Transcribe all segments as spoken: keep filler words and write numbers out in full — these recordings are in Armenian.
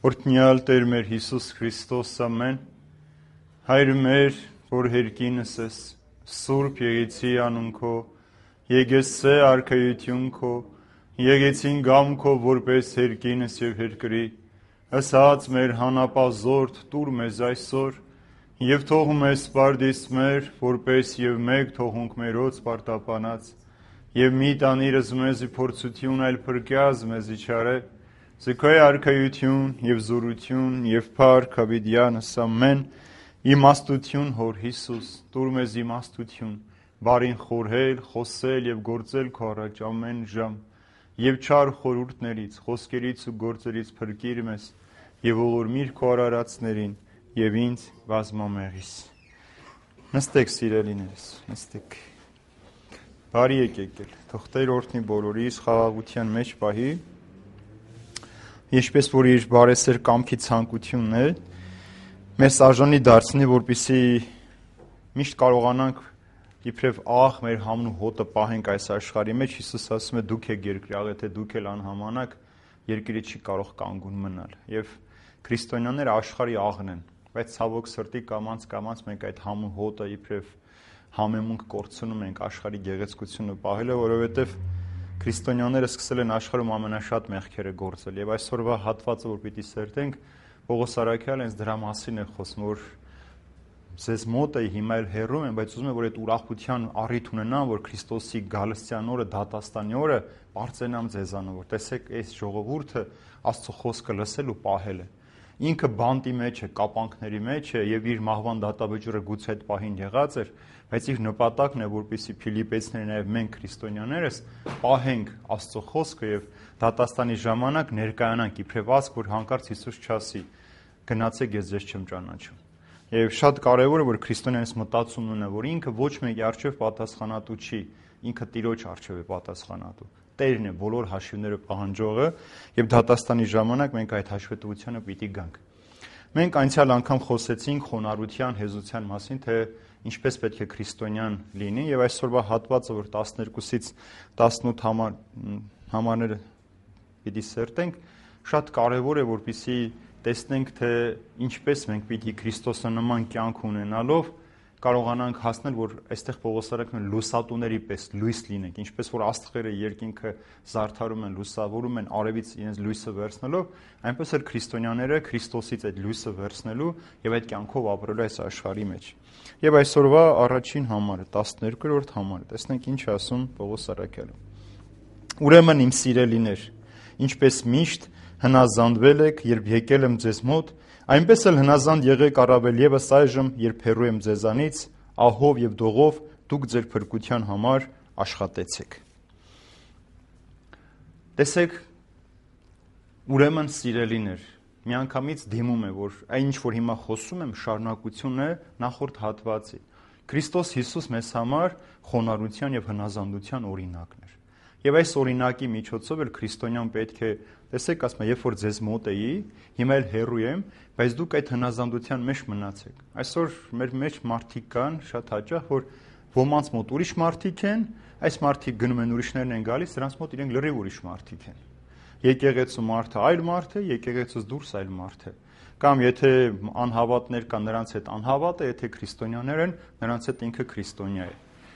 Օրհնյալ Տեր մեր Հիսուս Քրիստոս ամեն, Հայր մեր, որ հերկինս ես, Սուրբ եղեցի անուն քո, եկեցե արքայություն քո, եկեցին գամ քո որպես հերկինս եւ հերկրի, ասած մեր հանապազորդ տուր մեզ այսօր, եւ թող մեզ սպարդիս մեր, որպես եւ մեկ թողունք մերոց պարտապանած, եւ մի տանիրս մեզի փորձություն այլ փրկյազ մեզի չարե, Զքոյ արքայություն եւ զորություն եւ փառք հավիտյանս ամեն իմաստություն հոր Հիսուս տուր մեզ իմաստություն բարին խորհել խոսել եւ գործել քո առաջ ամեն ժամ եւ չար խորհուրդներից խոսքերից ու գործերից փրկիր մեզ եւ ողորմիր քո արարածներին եւ ինձ բազմամեղիս նստեք սիրելիներս նստեք բարի եկեք թող Տեր օրհնի բոլորիս խաղաղության մեջ պահի Ինչպես որ իր բարեսեր կամքի ցանկությունն է, մեզ արժանի դարձնի, որպեսզի միշտ կարողանանք իբրև աղ մեր համն ու հոտը պահենք այս աշխարհի մեջ, Հիսուս ասում է դուք եք երկրի, եթե դուք էլ անհամանաք, երկիրը չի կարող կանգուն մնալ։ Եվ քրիստոնյաները աշխարհի աղն են, բայց ցավոք սրտի կամած կամած մենք այդ համն ու հոտը իբրև համեմունք կորցնում ենք աշխարհի գեղեցկությունը պահելը, որովհետև Քրիստոնյաները սկսել են աշխարհում ամենաշատ մեղքերը գործել եւ այսօրվա հատվածը որ պիտի սերտենք Պողոս Արաքյալը հենց դրա մասին է խոսում որ ձեզ մոտ է հիմա էլ հեռում են բայց ուզում եմ որ այդ ուրախության առիթ ունենան որ Քրիստոսի գալստյան օրը դատաստանի օրը բարձրանամ ձեզանով որ տեսեք այս ժողովուրդը Աստծո խոսքը լսել ու պահել է ինքը բանտի մեջ է կապանքների մեջ է եւ իր մահվան դատավճիռը գուցե այդ պահին եղած էր բայց իր նպատակն է որպեսզի Ֆիլիպեցիները նաև մենք քրիստոնյաներս պահենք Աստծո խոսքը եւ դատաստանի ժամանակ ներկայանանք իբրև ասք որ հանկարծ Հիսուս չասի գնացեք ես ձեզ չեմ ճանաչում եւ շատ կարեւոր է որ քրիստոնյաներս մտածումն ունենա որ ինքը ոչ մեկի արժեվ պատասխանատու չի ինքը Տիրոջ արժեվ է պատասխանատու Տերն է բոլոր հաշիվները պահանջողը եւ դատաստանի ժամանակ մենք այդ հաշվետվությանը պիտի գանք մենք անցյալ անգամ խոսեցինք խոնարհության հեզության մասին թե ինչպես պետք է քրիստոնյան լինի եւ այսօրվա հատվածը որ տասներկուսից տասնութ համար համարները պիտի սերտենք շատ կարեւոր է որպեսզի տեսնենք թե ինչպես մենք պիտի քրիստոսանման կյանք ունենալով կարողանանք հասնել որ այստեղ Պողոս Արաքյալը լուսատուների պես լույս լինենք ինչպես որ աստղերը երկինքը զարդարում են լուսավորում են արևից իրենց լույսը վերցնելով այնպես էլ քրիստոնյաները Քրիստոսից այդ լույսը վերցնելու եւ այդ կյանքով ապրելու այս աշխարհի մեջ եւ այսօրվա առաջին համարը տասներկրորդ համարը տեսնենք ինչ ասում Պողոս Արաքյալը Ուրեմն իմ սիրելիներ ինչպես միշտ հնազանդվել եք երբ եկել եմ ձեզ մոտ Այնպես էլ հնազանդ եղեք առավել եւս այժմ, երբ հեռու եմ ձեզանից, ահով եւ դողով դուք ձեր փրկության համար աշխատեցեք։ Տեսեք, ուրեմն սիրելիներ, միանգամից դիմում է, որ այն ինչ որ հիմա խոսում եմ, շարունակությունն է նախորդ հատվածի։ Քրիստոս Հիսուս մեզ համար խոնարհության եւ հնազանդության օրինակն էր։ Եվ այս օրինակի միջոցով էլ քրիստոնյան պետք է տեսեք, ասում եմ, երբ որ ձեզ մոտ էի, հիմա էլ հեռու եմ, բայց դուք այդ հնազանդության մեջ մնացեք։ Այսօր մեր մեջ մարդիկ կան, շատ հաճախ, որ ոմանց մոտ ուրիշ մարդիկ են, այս մարդիկ գնում են ուրիշներն են գալիս, նրանց մոտ իրենք լրիվ ուրիշ մարդիկ են։ Եկեղեցու մարդը այլ մարդ է, եկեղեցուց դուրս այլ մարդ է։ Կամ եթե անհավատներ կան, նրանց հետ անհավատ է, եթե քրիստոնյաներ են, նրանց հետ ինքը քրիստոնյա է։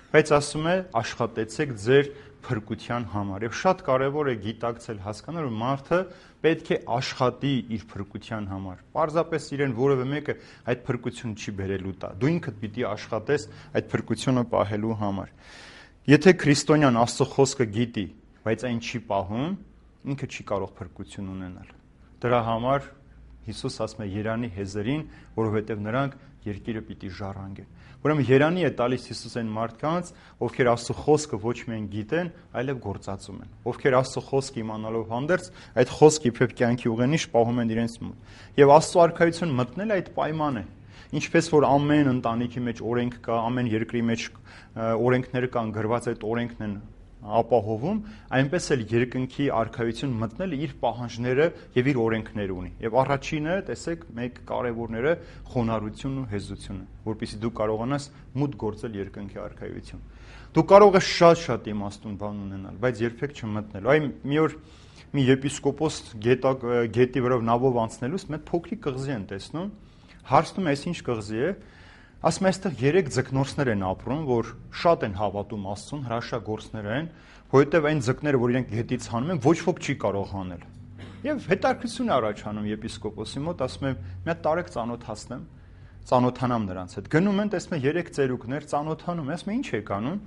Բայց ասում է աշխատեցեք ձեր փրկության համար եւ շատ կարեւոր է գիտակցել հասկանալ որ մարդը պետք է աշխատի իր փրկության համար պարզապես իրեն որևէ մեկը այդ փրկությունը չի բերելու տա դու ինքդ պիտի աշխատես այդ փրկությունը պահելու համար եթե քրիստոնյան Աստծո խոսքը գիտի բայց այն չի պահում ինքը չի կարող փրկություն ունենալ դրա համար Հիսուս ասում է երանի հեզերին որովհետեւ նրանք երկիրը պիտի ժառանգեն Ուրեմն երանի է տալիս Հիսուս այն մարդկանց, ովքեր Աստծո խոսքը ոչ միայն գիտեն, այլև գործածում են։ Ովքեր Աստծո խոսքը իմանալով հանդերձ, այդ խոսքը իբրև կյանքի ուղենիշ պահում են իրենց մոտ։ Եվ Աստծո արքայություն մտնել այդ պայման է։ Ինչպես որ ամեն ընտանիքի մեջ օրենք կա, ամեն երկրի մեջ օրենքներ կան, գրված այդ օրենքն են ապահովում, այնպես էլ երկնքի արքայություն մտնելը իր պահանջները եւ իր օրենքները ունի։ Եվ առաջինը, տեսեք, մեկ կարևորները խոնարհությունն ու հեզությունը, որպեսզի դու կարողանաս մուտք գործել երկնքի արքայություն։ Դու կարող ես շատ-շատ իմաստուն բան ունենալ, բայց երբեք չմտնել։ Այ մի օր մի եպիսկոպոս գետակ գետի վրով նավով անցնելուց մեծ փոքրիկ կղզի են տեսնում, հարցնում է, այս ինչ կղզի է։ Ասում է, այստեղ երեք ձկնորսներ են ապրում, որ շատ են հավատում Աստծուն, հրաշագործներ են, որովհետև այն ձկները, որ իրենք գետից հանում են, ոչ ոք չի կարող հանել։ Եվ հետաքրքրություն է առաջանում եպիսկոպոսի մոտ, ասում է, մի հատ տարեք ծանոթացնեմ, ծանոթանամ նրանց հետ։ Գնում են, տեսնում են երեք ծերուկներ, ծանոթանում, ասում է, ինչ եք անում։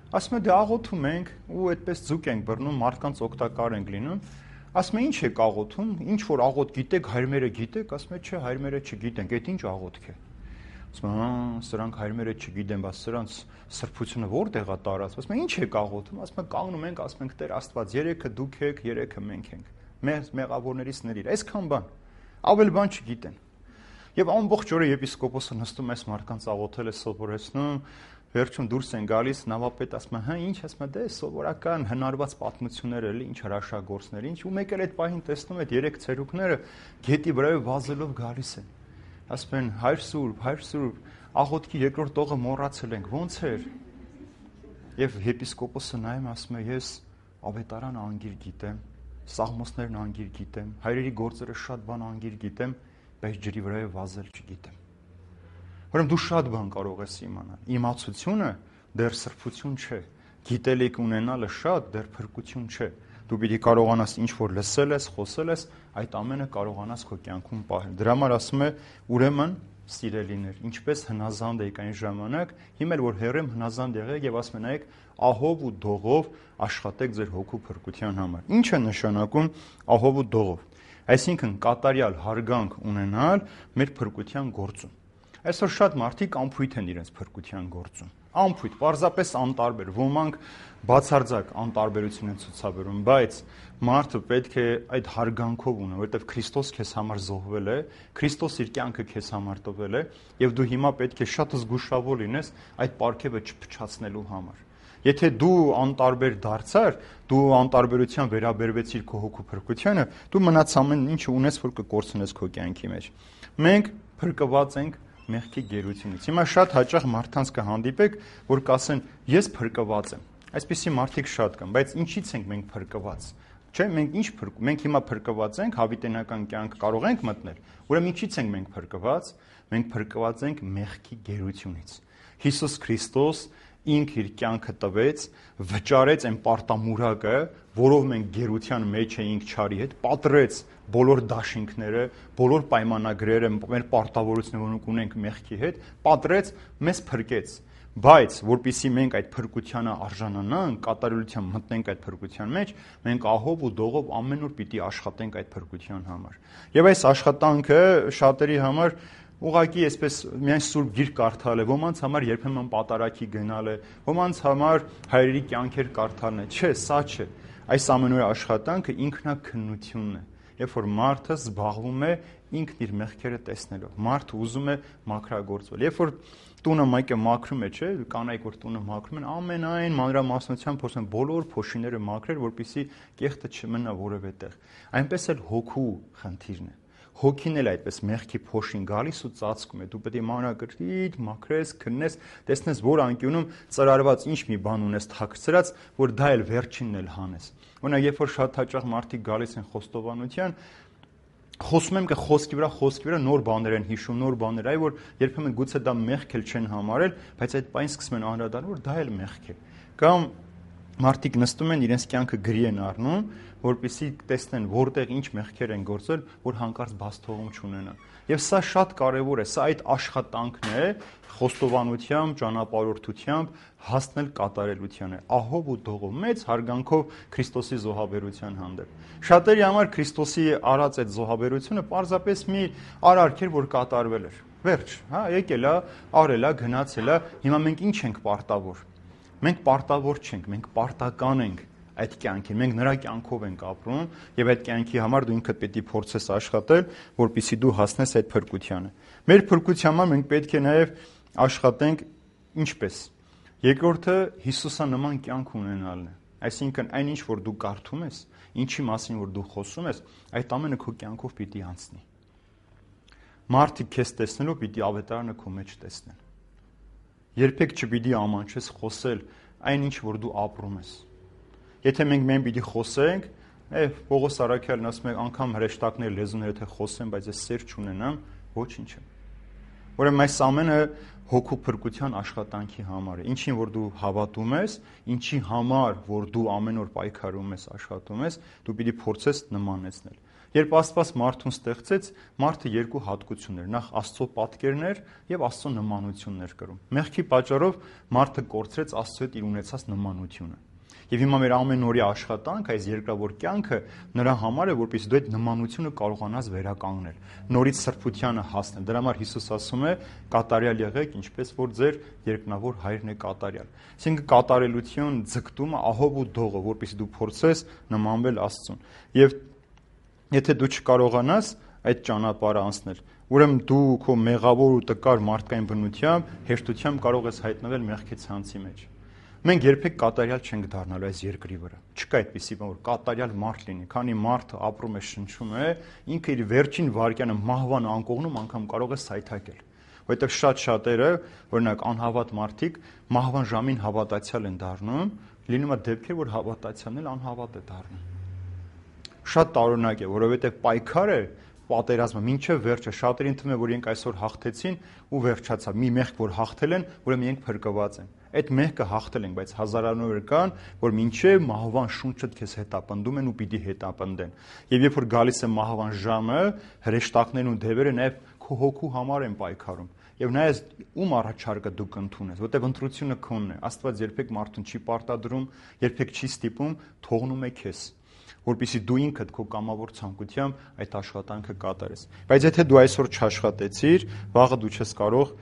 Ասում է, դե աղոթում ենք ու այդպես ձուկ ենք բռնում, մարդկանց օգտակար ենք լինում։ Ասում է, ինչ եք աղոթում, ինչ որ աղոթ գիտեք, հայրմերը գիտեք, ասում է, չէ, հայրմերը չգիտենք, այդ ինչ աղոթք է։ Ասում է, հա, սրանք հայրմերը չգիտեն, բայց սրանց սրբությունը որտեղ է տարած։ Ասում է, ինչ եք աղոթում։ Ասում է, կանգնում ենք, ասում ենք, Տեր Աստված, երեքը դուք եք, երեքը մենք ենք։ Մեր մեղավորներից ների։ Այսքան բան։ Ավել բան չգիտեն։ Եվ ամբողջ օրը եպիսկոպոսը նստում այս մարդկանց աղոթել է, սովորեցնում, վերջում դուրս են գալիս, նավապետ ասում է, հա, ինչ, ասում է, դե սովորական հնարված պատմություններ էլի, ինչ հրաշագործներ, ինչ, ու մեկ էլ այդ պահին տեսնում այդ երեք ցերուկները գետի վրայով վազելով գալիս են։ Ասում են, հայր սուրբ, հայր սուրբ, աղոթքի երկրորդ տողը մոռացել ենք, ո՞նց էր։ Եվ եպիսկոպոսը նայում ասում է, ես ավետարանը անգիր գիտեմ, սաղմոսներն անգիր գիտեմ, հայրերի գործերը շատ բան անգիր գիտեմ, բայց ջրի վրայով վազել չգիտեմ։ Ուրեմն դու շատ բան կարող ես իմանալ։ Իմացությունը դեռ սրբություն չէ։ Գիտելիք ունենալը շատ դեռ փրկություն չէ։ Դու պիտի կարողանաս ինչ որ լսել ես, խոսել ես, այդ ամենը կարողանաս քո կյանքում պահել։ Դրա համար ասում է, ուրեմն սիրելիներ, ինչպես հնազանդ եք այն ժամանակ, հիմա էլ որ հեռեմ հնազանդ եղեք եւ ասում են այք ահով ու դողով աշխատեք ձեր հոգու փրկության համար։ Ինչ է նշանակում ահով ու դողով։ Այսինքն կատարյալ հարգանք ունենալ մեր փրկության գործում։ Այսօր շատ մարդիկ անփույթ են իրենց փրկության գործում։ Անփույթ, պարզապես անտարբեր, ոմանք բացարձակ անտարբերություն են ցուցաբերում, բայց մարդը պետք է այդ հարգանքով ունենա, որովհետև Քրիստոս քեզ համար զոհվել է, Քրիստոս իր կյանքը քեզ համար տվել է, եւ դու հիմա պետք է շատ զգուշավոր լինես այդ պարգևը չփչացնելու համար։ Եթե դու անտարբեր դարձար, դու անտարբերության վերաբերվեցիր քո հոգու փրկությանը, դու մնաց ամեն ինչը ունես, որ կկորցնես քո կյանքի մեջ։ Մենք փրկված ենք մեղքի գերությունից։ Հիմա շատ հաճախ մարդկանց կհանդիպեք, որ կասեն, ես փրկված եմ։ Այսպիսի մարդիկ շատ կան, բայց ինչի՞ց ենք մենք փրկված։ Չէ, մենք ինչ փրկ, մենք հիմա փրկված ենք, հավիտենական կյանք կարող ենք մտնել։ Ուրեմն ինչի՞ց ենք մենք փրկված։ Մենք փրկված ենք մեղքի գերությունից։ Հիսուս Քրիստոս ինքը իր կյանքը տվեց, վճարեց այն պարտամուրակը, որով մենք գերության մեջ էինք չարի հետ, պատռեց բոլոր դաշինքները, բոլոր պայմանագրերը, մեր պարտավորությունները, որ ունենք մեղքի հետ, պատռեց, մեզ փրկեց։ Բայց որpիսի մենք այդ փրկությանը արժանանանք, կատարելության մտնենք այդ փրկության մեջ, մենք ահով ու դողով ամեն օր պիտի աշխատենք այդ փրկության համար։ Եվ այս աշխատանքը շատերի համար ուղղակի այսպես միայն սուրբ գիրք կարդալ է, ոմանց համար երբեմն պատարակի գնալ է, ոմանց համար հայրերի կյանքեր կարդալն է։ Չէ, սա չէ։ Այս ամենօրյա աշխատանքը ինքնակնությունն է։ Երբ որ մարդը զբաղվում է ինքն իր մեղքերը տեսնելով, մարդը ուզում է մաքրագործվել։ Երբ որ տունը մեկը մաքրում է, չէ, կանայք որ տունը մաքրում են, ամենայն մանրամասնությամբ փորձում են բոլոր փոշիները մաքրել, որպեսզի կեղտը չմնա որևէ տեղ։ Այնպես էլ հոգու խնդիրն է։ Հոգին էլ այդպես մեղքի փոշին գալիս ու ծածկում է։ Դու պետք է մանրակրկիտ մաքրես, քննես, տեսնես, որ անկյունում ծրարված ինչ մի բան ունես թաքցրած, որ դա էլ վերջինն էլ հանես։ Օրինակ, երբ որ շատ հաճախ մարդիկ գալիս են խոստովանության, խոսում եմ կը խոսքի վրա, խոսքի վրա նոր բաներ են հիշում, նոր բաներ, այ որ երբեմն գուցե դա մեղք էլ չեն համարել, բայց այդ պայն սկսում են անդրադառնալ, որ դա էլ մեղք է։ Կամ մարդիկ նստում են, իրենց կյանքը գրի են առնում, որպեսզի տեսնեն որտեղ ինչ մեղքեր են գործել, որ հանկարծ բացթողում չունենան։ Եվ սա շատ կարևոր է, սա այդ աշխատանքն է, խոստովանությամբ, ճանապարհորդությամբ հասնել կատարելությանը, ահով ու դողով, մեծ հարգանքով Քրիստոսի զոհաբերության հանդեպ։ Շատերի համար Քրիստոսի արած այդ զոհաբերությունը պարզապես մի արարք էր, որ կատարվել էր։ Վերջ, հա, եկել է, արել է, գնացել է, հիմա մենք ինչ ենք պարտավոր։ Մենք պարտավոր չենք, մենք պարտական ենք այդ կյանքին, մենք նրա կյանքով ենք ապրում եւ այդ կյանքի համար դու ինքդ պետք է փորձես աշխատել, որպեսզի դու հասնես այդ փրկությանը։ Մեր փրկության համար մենք պետք է նաեւ աշխատենք ինչպես։ Երկրորդը Հիսուսանման կյանք ունենալն է։ Այսինքն այնինչ որ դու կարդում ես, ինչի մասին որ դու խոսում ես, այդ ամենը քո կյանքով պիտի անցնի։ Մարդիկ քեզ տեսնելով պիտի ավետարանը քո մեջ տեսնեն։ Երբեք չպիտի ամանչես խոսել այնինչ որ դու ապրում ես։ Եթե մենք մեն պիտի խոսենք, այ Պողոս Արաքյալն ասում է, անգամ հրեշտակներ լեզուները թե խոսեմ, բայց ես սեր չունենամ, ոչինչ է։ Ուրեմն այս ամենը հոգու փրկության աշխատանքի համար է։ Ինչին որ դու հավատում ես, ինչի համար որ դու ամեն օր պայքարում ես, աշխատում ես, դու պիտի փորձես նմանեցնել։ Երբ Աստված մարդուն ստեղծեց, մարդը երկու հատկություն էր՝ նախ Աստծո պատկերներ եւ Աստծո նմանություններ կրում։ Մեղքի պատճառով մարդը կորցրեց Աստծո հետ իր ունեցած նմանությունը։ Եվ հիմա մեր ամեն օրյա աշխատանք, այս երկրավոր կյանքը նրա համար է, որպեսզի դու այդ նմանությունը կարողանաս վերականգնել, նորից սրբությանը հասնել։ Դրա համար Հիսուս ասում է. կատարյալ եղեք, ինչպես որ ձեր երկնավոր Հայրն է կատարյալ։ Այսինքն կատարելություն, ձգտումը, ահով ու դողը, որպեսզի դու փորձես նմանվել Աստծուն։ Եվ եթե դու չկարողանաս այդ ճանապարհը անցնել, ուրեմն դու քո մեղավոր ու տկար մարդկային բնությամբ հեշտությամբ կարող ես հայտնվել մեղքի ցանցի մեջ։ Մենք երբեք կատարյալ չենք դառնալու այս երկրի վրա։ Չկա այդպիսի բան, որ կատարյալ մարդ լինի, քանի մարդը ապրում է, շնչում է, ինքը իր վերջին վայրկյանը մահվան անկողնում անգամ կարող է սայթակել։ Որովհետև շատ շատերը, օրինակ անհավատ մարդիկ, մահվան ժամին հավատացյալ են դառնում, լինում է դեպքեր, որ հավատացյալն էլ անհավատ է դառնում։ Շատ տարօրինակ է, որովհետև պայքարը, պատերազմը մինչև վերջը շատերին թվում է, որ իրենք այսօր հաղթեցին ու վերջացավ։ Մի մեղք որ հաղթել են, ուրեմն իրենք փրկված են։ Այդ մեղքը հաղթել ենք, բայց հազարաններ կան, որ մինչև մահվան շունչը քեզ հետապնդում են ու պիտի հետապնդեն։ Եվ երբ որ գալիս է մահվան ժամը, հրեշտակներն ու դևերը նաև քո հոգու համար են պայքարում։ Եվ նայես ում առաջարկը դու կընդունես, որտեղ ընտրությունը քոնն է։ Աստված երբեք մարդուն չի պարտադրում, երբեք չի ստիպում, թողնում է քեզ, որպեսզի դու ինքդ քո կամավոր ցանկությամբ այդ աշխատանքը կատարես։ Բայց եթե դու այսօր չաշխատեցիր, վաղը դու չես կարող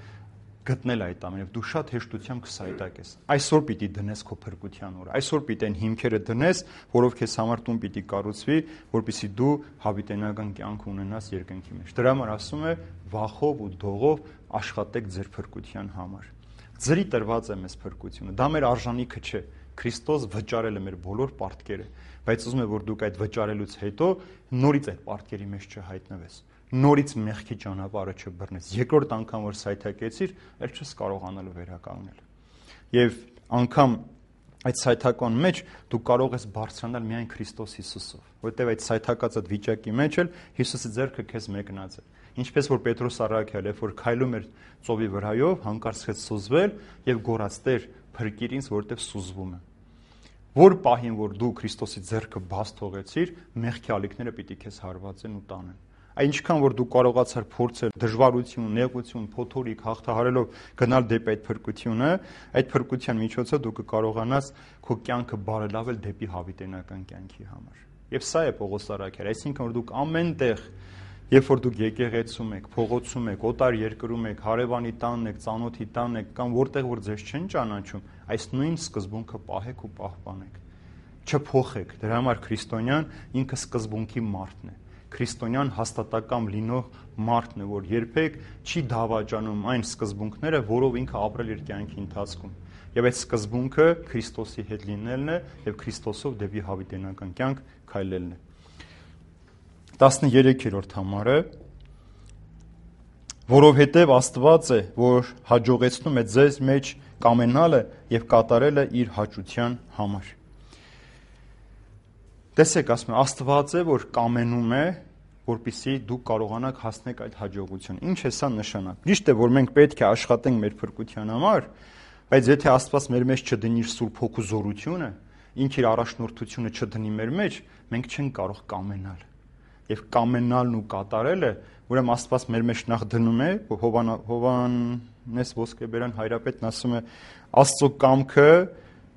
գտնել այդ ամենը, դու շատ հեշտությամբ կսայթակես։ Այսօր պիտի դնես քո փրկության օրը։ Այսօր պիտի այն հիմքերը դնես, որով քեզ համար տուն պիտի կառուցվի, որպեսզի դու հավիտենական կյանք ունենաս երկնքի մեջ։ Դրա համար ասում է, վախով ու դողով աշխատեք ձեր փրկության համար։ Ձրի տրված է մեզ փրկությունը։ Դա մեր արժանիքը չէ։ Քրիստոս վճարել է մեր բոլոր պարտքերը, բայց ուզում է որ դուք այդ վճարելուց հետո նորից այդ պարտքերի մեջ չհայտնվես, նորից մեղքի ճանապարհը չբռնես։ Երկրորդ անգամ որ սայթակեցիր, ել չես կարողանալու վերականգնել։ Եվ անգամ այդ սայթական մեջ դու կարող ես բարձրանալ միայն Քրիստոս Հիսուսով, որտեղ այդ սայթակած այդ վիճակի մեջ էլ Հիսուսի ձեռքը քեզ մեկնած է։ Ինչպես որ Պետրոս առաքյալ է, որ քայլում էր ծովի վրայով, հանկարծ սկսեց սուզվել եւ գոռաց. «Տեր, փրկիր ինձ, որտեղ սուզվում է»։ Որ պահին որ դու Քրիստոսի ձեռքը բաց թողեցիր, մեղքի ալիքները պիտի քեզ հարվածեն ու տանեն։ Այնչքան որ դու կարողացար փորձել դժվարություն, նեղություն, փոթորիկ հաղթահարելով գնալ դեպի այդ փրկությունը, այդ փրկության միջոցով դու կկարողանաս քո կյանքը բարելավել դեպի հավիտենական կյանքի համար։ Եվ սա է Պողոս առաքյալը, այսինքն որ դուք ամենտեղ, երբ որ դուք եկեղեցում եք, փողոցում եք, օտար երկրում եք, հարևանի տանն եք, ծանոթի տանն եք, կամ որտեղ որ ձեզ չեն ճանաչում, այս նույն սկզբունքը պահեք ու պահպանեք։ Չփոխեք։ Դրա համար քրիստոնյան ինքը սկզբունքի մարդն է։ Քրիստոնյան հաստատակամ լինող մարդն է, որ երբեք չի դավաճանում այն սկզբունքները, որով ինքը ապրել իր կյանքի ընթացքում։ Եվ այդ սկզբունքը Քրիստոսի հետ լինելն է եւ Քրիստոսով դեպի հավիտենական կյանք քայլելն է։ տասներեքերորդ համարը, որովհետև Աստված է, որ հաջողեցնում է ձեզ մեջ կամենալը եւ կատարելը իր հաճության համար։ Տեսեք, ասում է, Աստված է, որ կամենում է, որպեսզի դուք կարողանաք հասնել այդ հաջողության։ Ինչ է սա նշանակում։ Ճիշտ է, որ մենք պետք է աշխատենք մեր փրկության համար, բայց եթե Աստված մեր մեջ չդնի իր Սուրբ Հոգու զորությունը, ինքը իր առաջնորդությունը չդնի մեր մեջ, մենք չենք կարող կամենալ։ Եվ կամենալն ու կատարելը, ուրեմն Աստված մեր մեջ նախ դնում է, Հովհաննես Ոսկեբերյան հայրապետն ասում է, Աստծո կամքը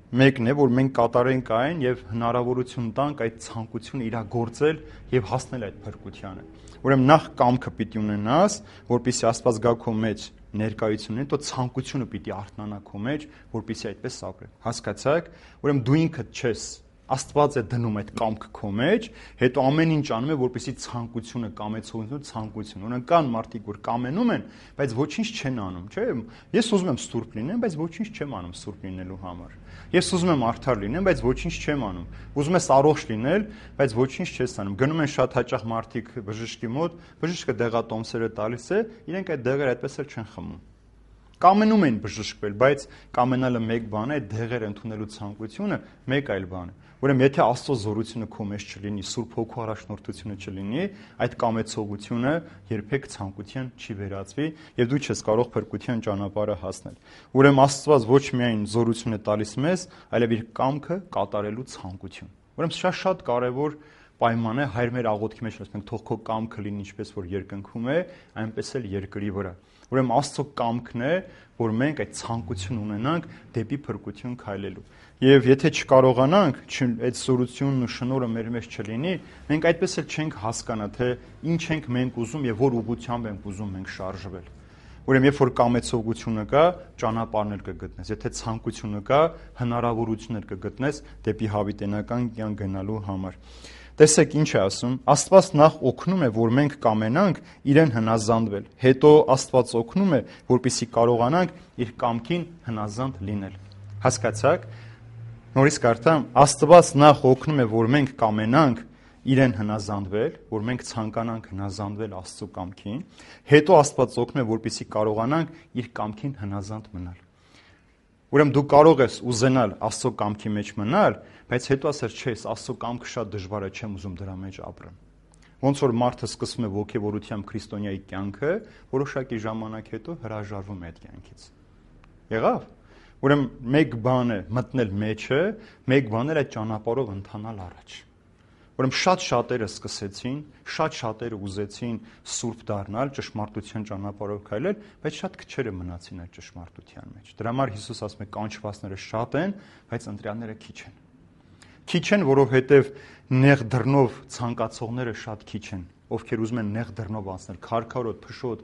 մեկն է, որ մենք կատարենք այն եւ հնարավորություն տանք այդ ցանկությունը իրագործել եւ հասնել այդ փրկությանը։ Ուրեմն նախ կամքը պիտի ունենաս, որպեսզի Աստված գա քո մեջ ներկայությունն է, то ցանկությունը պիտի արթնանա քո մեջ, որպեսզի այդպես ապրես։ Հասկացաք։ Ուրեմն դու ինքդ չես Աստված է դնում այդ կամքը քո մեջ, հետո ամեն ինչ անում է, որպեսզի ցանկությունը, կամեցողությունը, ցանկությունը։ Օրինակ կան մարդիկ, որ կամենում են, բայց ոչինչ չեն անում, չէ՞։ Ես ուզում եմ սուրբ լինեմ, բայց ոչինչ չեմ անում սուրբ լինելու համար։ Ես ուզում եմ արդար լինեմ, բայց ոչինչ չեմ անում։ Ուզում ես առողջ լինել, բայց ոչինչ չես անում։ Գնում են շատ հաճախ մարդիկ բժշկի մոտ, բժիշկը դեղատոմսերը տալիս է, իրենք այդ դեղերը այդպես էլ չեն խմում։ Կամենում են բժշկվել, բայց կամենալը մեկ բան է, այդ դեղերը ընդունելու ցանկությունը մեկ այլ բան է։ Ուրեմն եթե Աստծո զորությունը քո մեջ չլինի, Սուրբ Հոգու առաջնորդությունը չլինի, այդ կամեցողությունը երբեք ցանկության չի վերածվի եւ դու չես կարող փրկության ճանապարհը հասնել։ Ուրեմն Աստված ոչ միայն զորություն է տալիս մեզ, այլև իր կամքը կատարելու ցանկություն։ Ուրեմն սա շատ կարեւոր պայման է, Հայր մեր աղոթքի մեջ ասենք թող քո կամքը լինի ինչպես որ երկնքում է, այնպես էլ երկրի վրա։ Ուրեմն Աստծո կամքն է, որ մենք այդ ցանկություն ունենանք դեպի փրկություն քայլելու։ Եվ եթե չկարողանանք, այդ զորությունն ու շնորհը մեր մեջ չլինի, մենք այդպես էլ չենք հասկանա, թե ինչ ենք մենք ուզում եւ որ ուղղությամբ ենք ուզում մենք շարժվել։ Ուրեմն երբ որ կամեցողությունը կա, ճանապարհներ կգտնես, եթե ցանկությունը կա, հնարավորություններ կգտնես դեպի հավիտենական կյանք գնալու համար։ Տեսեք ինչ է ասում, Աստված նախ օգնում է, որ մենք կամենանք իրեն հնազանդվել, հետո Աստված օգնում է, որպեսզի կարողանանք իր կամքին հնազանդ լինել։ Հասկացաք։ Նորից կարդամ, Աստված նախ օգնում է, որ մենք կամենանք իրեն հնազանդվել, որ մենք ցանկանանք հնազանդվել Աստծո կամքին, հետո Աստված օգնում է, որպեսզի կարողանանք իր կամքին հնազանդ մնալ։ Ուրեմն դու կարող ես ուզենալ Աստծո կամքի մեջ մնալ, բայց հետո ասել չէ, Աստծո կամքը շատ դժվար է, չեմ ուզում դրա մեջ ապրեմ։ Ոնց որ մարդը սկսում է ոգևորությամբ քրիստոնյայի կյանքը, որոշակի ժամանակ հետո հրաժարվում է այդ կյանքից։ Եղավ։ Ուրեմն մեկ բան է մտնել մեջը, մեկ բան է այդ ճանապարհով ընթանալ առաջ։ Ուրեմն շատ շատերը սկսեցին, շատ շատերը ուզեցին սուրբ դառնալ, ճշմարտության ճանապարհով քայլել, բայց շատ քչերը մնացին այդ ճշմարտության մեջ։ Դրա համար Հիսուս ասում է կանչվածները շատ են, բայց ընտրյալները քիչ են։ Քիչ են, որովհետև նեղ դռնով ցանկացողները շատ քիչ են, ովքեր ուզում են նեղ դռնով անցնել, քարքարոտ, փշոտ,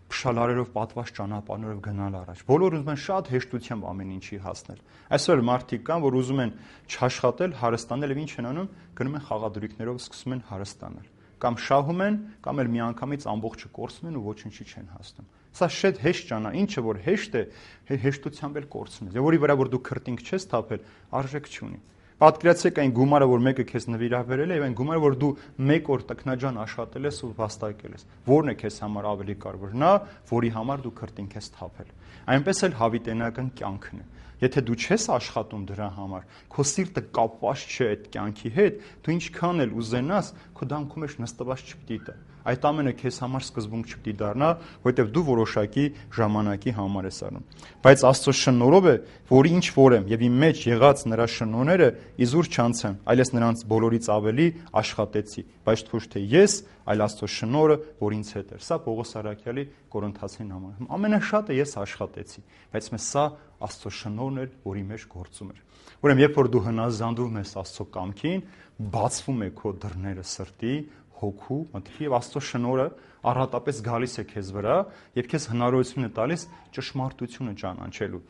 փշալարերով պատված ճանապարհներով գնալ առաջ։ Բոլորը ուզում են շատ հեշտությամբ ամեն ինչի հասնել։ Այսօր մարդիկ կան, որ ուզում են չաշխատել, հարստանալ եւ ինչ են անում, գնում են խաղադրույքներով սկսում են հարստանալ։ Կամ շահում են, կամ էլ միանգամից ամբողջը կորցնում են ու ոչինչի չեն հասնում։ Սա շատ հեշտ ճանա, ինչը որ հեշտ է, հեշտությամբ էլ կորցնում ես։ Եվ որի վրա որ դու քրտինք չես թափել, արժեք չունի։ Պատկերացրեք այն գումարը, որ մեկը քեզ նվիրաբերել է, եւ այն գումարը, որ դու մեկ օր տքնաջան աշխատել ես ու վաստակել ես։ Որն է քեզ համար ավելի կարևոր։ Նա, որի համար դու քրտինք ես թափել։ Այնպես էլ հավիտենական կյանքն է։ Եթե դու չես աշխատում դրա համար, քո սիրտը կապված չէ այդ կյանքի հետ, դու ինչքան էլ ուզենաս, քո դամքում մեջ նստված չպիտի տա։ Այդ ամենը քեզ համար սկզբունք չպիտի դառնա, որովհետև դու որոշակի ժամանակի համար ես անում։ Բայց Աստծո շնորհով է, որ ինչ որ եմ եւ իմ մեջ եղած նրա շնորհները իզուր չանցան, այլես նրանց բոլորից ավելի աշխատեցի, բայց ոչ թե ես, այլ Աստծո շնորհը, որ ինձ հետ էր։ Սա Պողոս Արաքյալի Կորինթացին համար։ Ամենաշատը ես աշխատեցի, բայց մեզ սա Աստծո շնորհն էր, որի մեջ գործում էր։ Ուրեմն երբ որ դու հնազանդվում ես Աստծո կամքին, բացվում է քո դռները սրտի, հոգու, մտքի եւ Աստծո շնորհը առատապես գալիս է քեզ վրա եւ քեզ հնարավորություն է տալիս ճշմարտությունը ճանաչելու,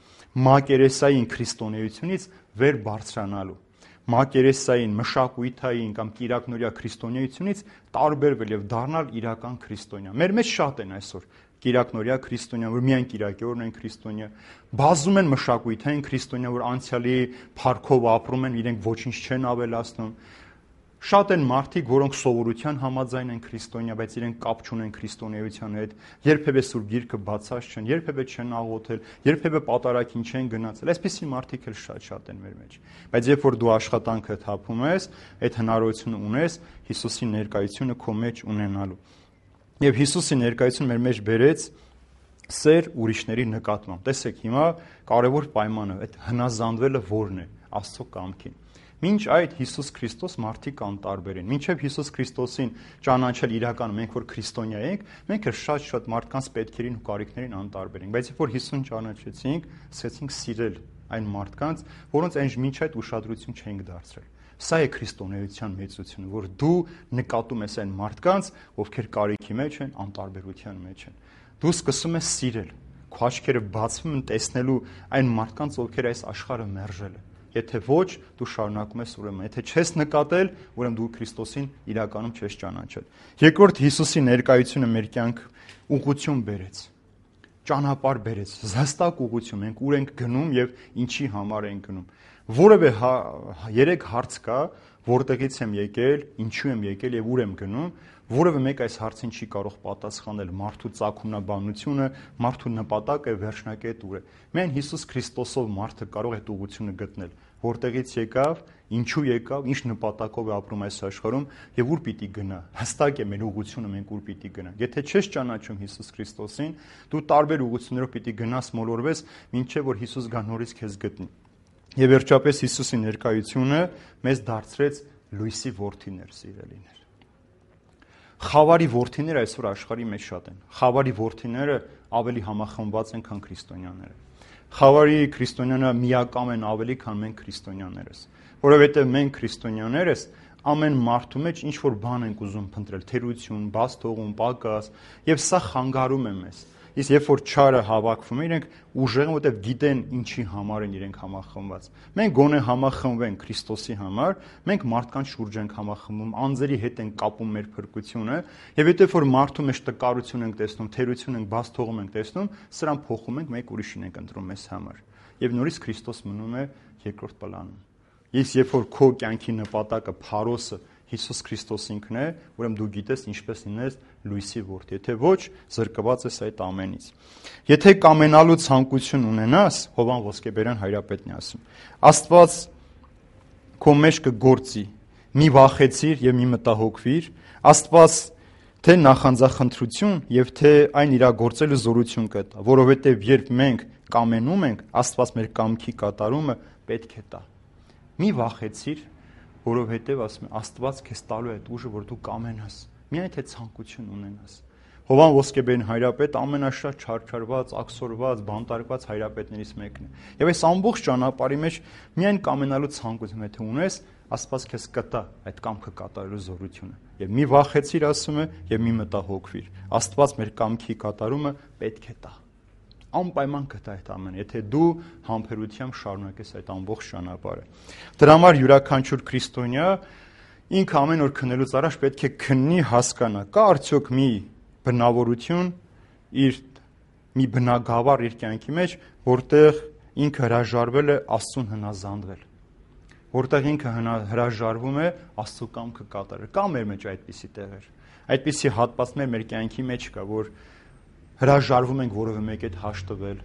մակերեսային քրիստոնեությունից վեր բարձրանալու, մակերեսային, մշակույթային կամ կիրակնորյա քրիստոնեությունից տարբերվել եւ դառնալ իրական քրիստոնյա։ Մեր մեջ շատ են այսօր կիրակնորյա քրիստոնյա, որ միայն կիրակի օրն են քրիստոնյա, բազում են մշակույթային քրիստոնյա, որ անցյալի փառքով ապրում են, իրենք ոչինչ չեն ավելացնում։ Շատ են մարդիկ, որոնք սովորության համաձայն են քրիստոնյա, բայց իրենք կապ չունեն քրիստոնեության հետ, երբևէ սուրբ գիրքը բացած չեն, երբևէ չեն աղոթել, երբևէ պատարագին չեն գնացել։ Այսպիսի մարդիկ էլ շատ-շատ են մեր մեջ։ Բայց երբ որ դու աշխատանքը թափում ես, այդ հնարավորությունը ունես Հիսուսի ներկայությունը քո մեջ ունենալու։ Եվ Հիսուսի ներկայությունը մեր մեջ բերեց սեր ուրիշների նկատմամբ։ Տեսեք, հիմա կարևոր պայմանը այդ հնազանդվելը որն է Աստծո կամքին։ Մինչ այդ Հիսուս Քրիստոս մարդիկ անտարբեր են։ Մինչև Հիսուս Քրիստոսին ճանաչել իրական մենք որ քրիստոնյա ենք, մենք էլ շատ-շատ մարդկանց պետքերին ու կարիքներին անտարբեր ենք։ Բայց երբ որ Հիսուսին ճանաչեցինք, սկսեցինք սիրել այն մարդկանց, որոնց այն մինչ այդ ուշադրություն չենք դարձրել։ Սա է քրիստոնեության մեծությունը, որ դու նկատում ես այն մարդկանց, ովքեր կարիքի մեջ են, անտարբերության մեջ են։ Դու սկսում ես սիրել, քո աչքերը բացվում են տեսնելու այն մարդկանց, ովքեր այս աշխարհը մերժել է։ Եթե ոչ, դու շարունակում ես ուրեմն։ Եթե չես նկատել, ուրեմն դու Քրիստոսին իրականում չես ճանաչել։ Երկրորդ, Հիսուսի ներկայությունը մեր կյանք ուղղություն բերեց։ Ճանապարհ բերեց, զաստակ ուղղություն։ Մենք ուր ենք գնում եւ ինչի համար ենք գնում։ Որևէ երեք հարց կա, որտեղից եմ եկել, ինչու եմ եկել եւ ուր եմ գնում, որևէ մեկ այս հարցին չի կարող պատասխանել։ Մարդու ծագումնաբանությունը, մարդու նպատակը վերջնակետ ուր է։ Միայն Հիսուս Քրիստոսով մարդը կարող է այդ ուղղությունը գտնել, որտեղից եկավ, ինչու եկավ, ինչ նպատակով է ապրում այս աշխարհում եւ ուր պիտի գնա։ Հստակ է մեր ուղղությունը, մենք ուր պիտի գնանք։ Եթե չես ճանաչում Հիսուս Քրիստոսին, դու տարբեր ուղղություններով պիտի գնաս, մոլորվես, մինչեւ որ Հիսուս գա նորից քեզ գտնի։ Եվ վերջապես Հիսուսի ներկայությունը մեզ դարձրեց լույսի որդիներ, սիրելիներ։ Խավարի որդիները այսօր աշխարհի մեջ շատ են։ Խավարի որդիները ավելի համախմբված են, քան քրիստոնյաները։ Խավարի քրիստոնյաները միակամ են ավելի, քան մենք քրիստոնյաներս, որովհետև մենք քրիստոնյաներս ամեն մարդու մեջ ինչ որ բան ենք ուզում փնտրել, թերություն, բաց թողում, պակաս, եւ սա խանգարում է մեզ։ Իսկ երբ որ չարը հավաքվում է, իրենք ուժեղ են, որտեղ գիտեն ինչի համար են իրենք համախմբված։ Մենք գոնե համախմբվենք Քրիստոսի համար, մենք մարդկանց շուրջ ենք համախմբում, անձերի հետ ենք կապում մեր փրկությունը, եւ եթե որ մարդու մեջ տկարություն ենք տեսնում, թերություն ենք, բաց թողում ենք տեսնում, սրան փոխում ենք, մեկ ուրիշին ենք ընտրում մեզ համար։ Եվ նորից Քրիստոս մնում է երկրորդ պլանում։ Իսկ երբ որ քո կյանքի նպատակը Փարոսը Հիսուս Քրիստոս ինքն է, ուրեմն դու գիտես ինչպես լինես լույսի որդի, եթե ոչ, զրկված ես այդ ամենից։ Եթե կամենալու ցանկություն ունենաս, Հովան Ոսկեբերյան Հայրապետն է ասում, Աստված քո մեջ կգործի, մի վախեցիր եւ մի մտահոգվիր, Աստված թե նախանձախնդրություն եւ թե այն իրագործելու զորություն կտա, որովհետեւ երբ մենք կամենում ենք, Աստված մեր կամքի կատարումը պետք է տա։ Մի վախեցիր, որովհետև ասում է Աստված քեզ տալու է այդ ուժը, որ դու կամենաս, միայն թե ցանկություն ունենաս։ Հովան Ոսկեբերյան Հայրապետ ամենաշատ չարչարված, աքսորված, բանտարկված հայրապետներից մեկն է։ Եվ այս ամբողջ ճանապարհի մեջ միայն կամենալու ցանկություն եթե ունես, Աստված քեզ կտա այդ կամքը կատարելու զորությունը։ Եվ մի վախեցիր, ասում է, եւ մի մտահոգվիր։ Աստված մեր կամքի կատարումը պետք է տա։ Անպայման կտա այդ ամենը, եթե դու համբերությամբ շարունակես այդ ամբողջ ճանապարհը։ Դրա համար յուրաքանչյուր քրիստոնյա ինքը ամեն օր քննելուց առաջ պետք է քննի, հասկանա, կա արդյոք մի բնավորություն իր մի բնագավառ իր կյանքի մեջ, որտեղ ինքը հրաժարվել է Աստծուն հնազանդվել, որտեղ ինքը հրաժարվում է Աստծո կամքը կատարել։ Կա մեր մեջ այդպիսի տեղեր, այդպիսի հատվածներ մեր կյանքի մեջ կա, որ հրաժարվում ենք որևէ մեկի հետ հաշտվել,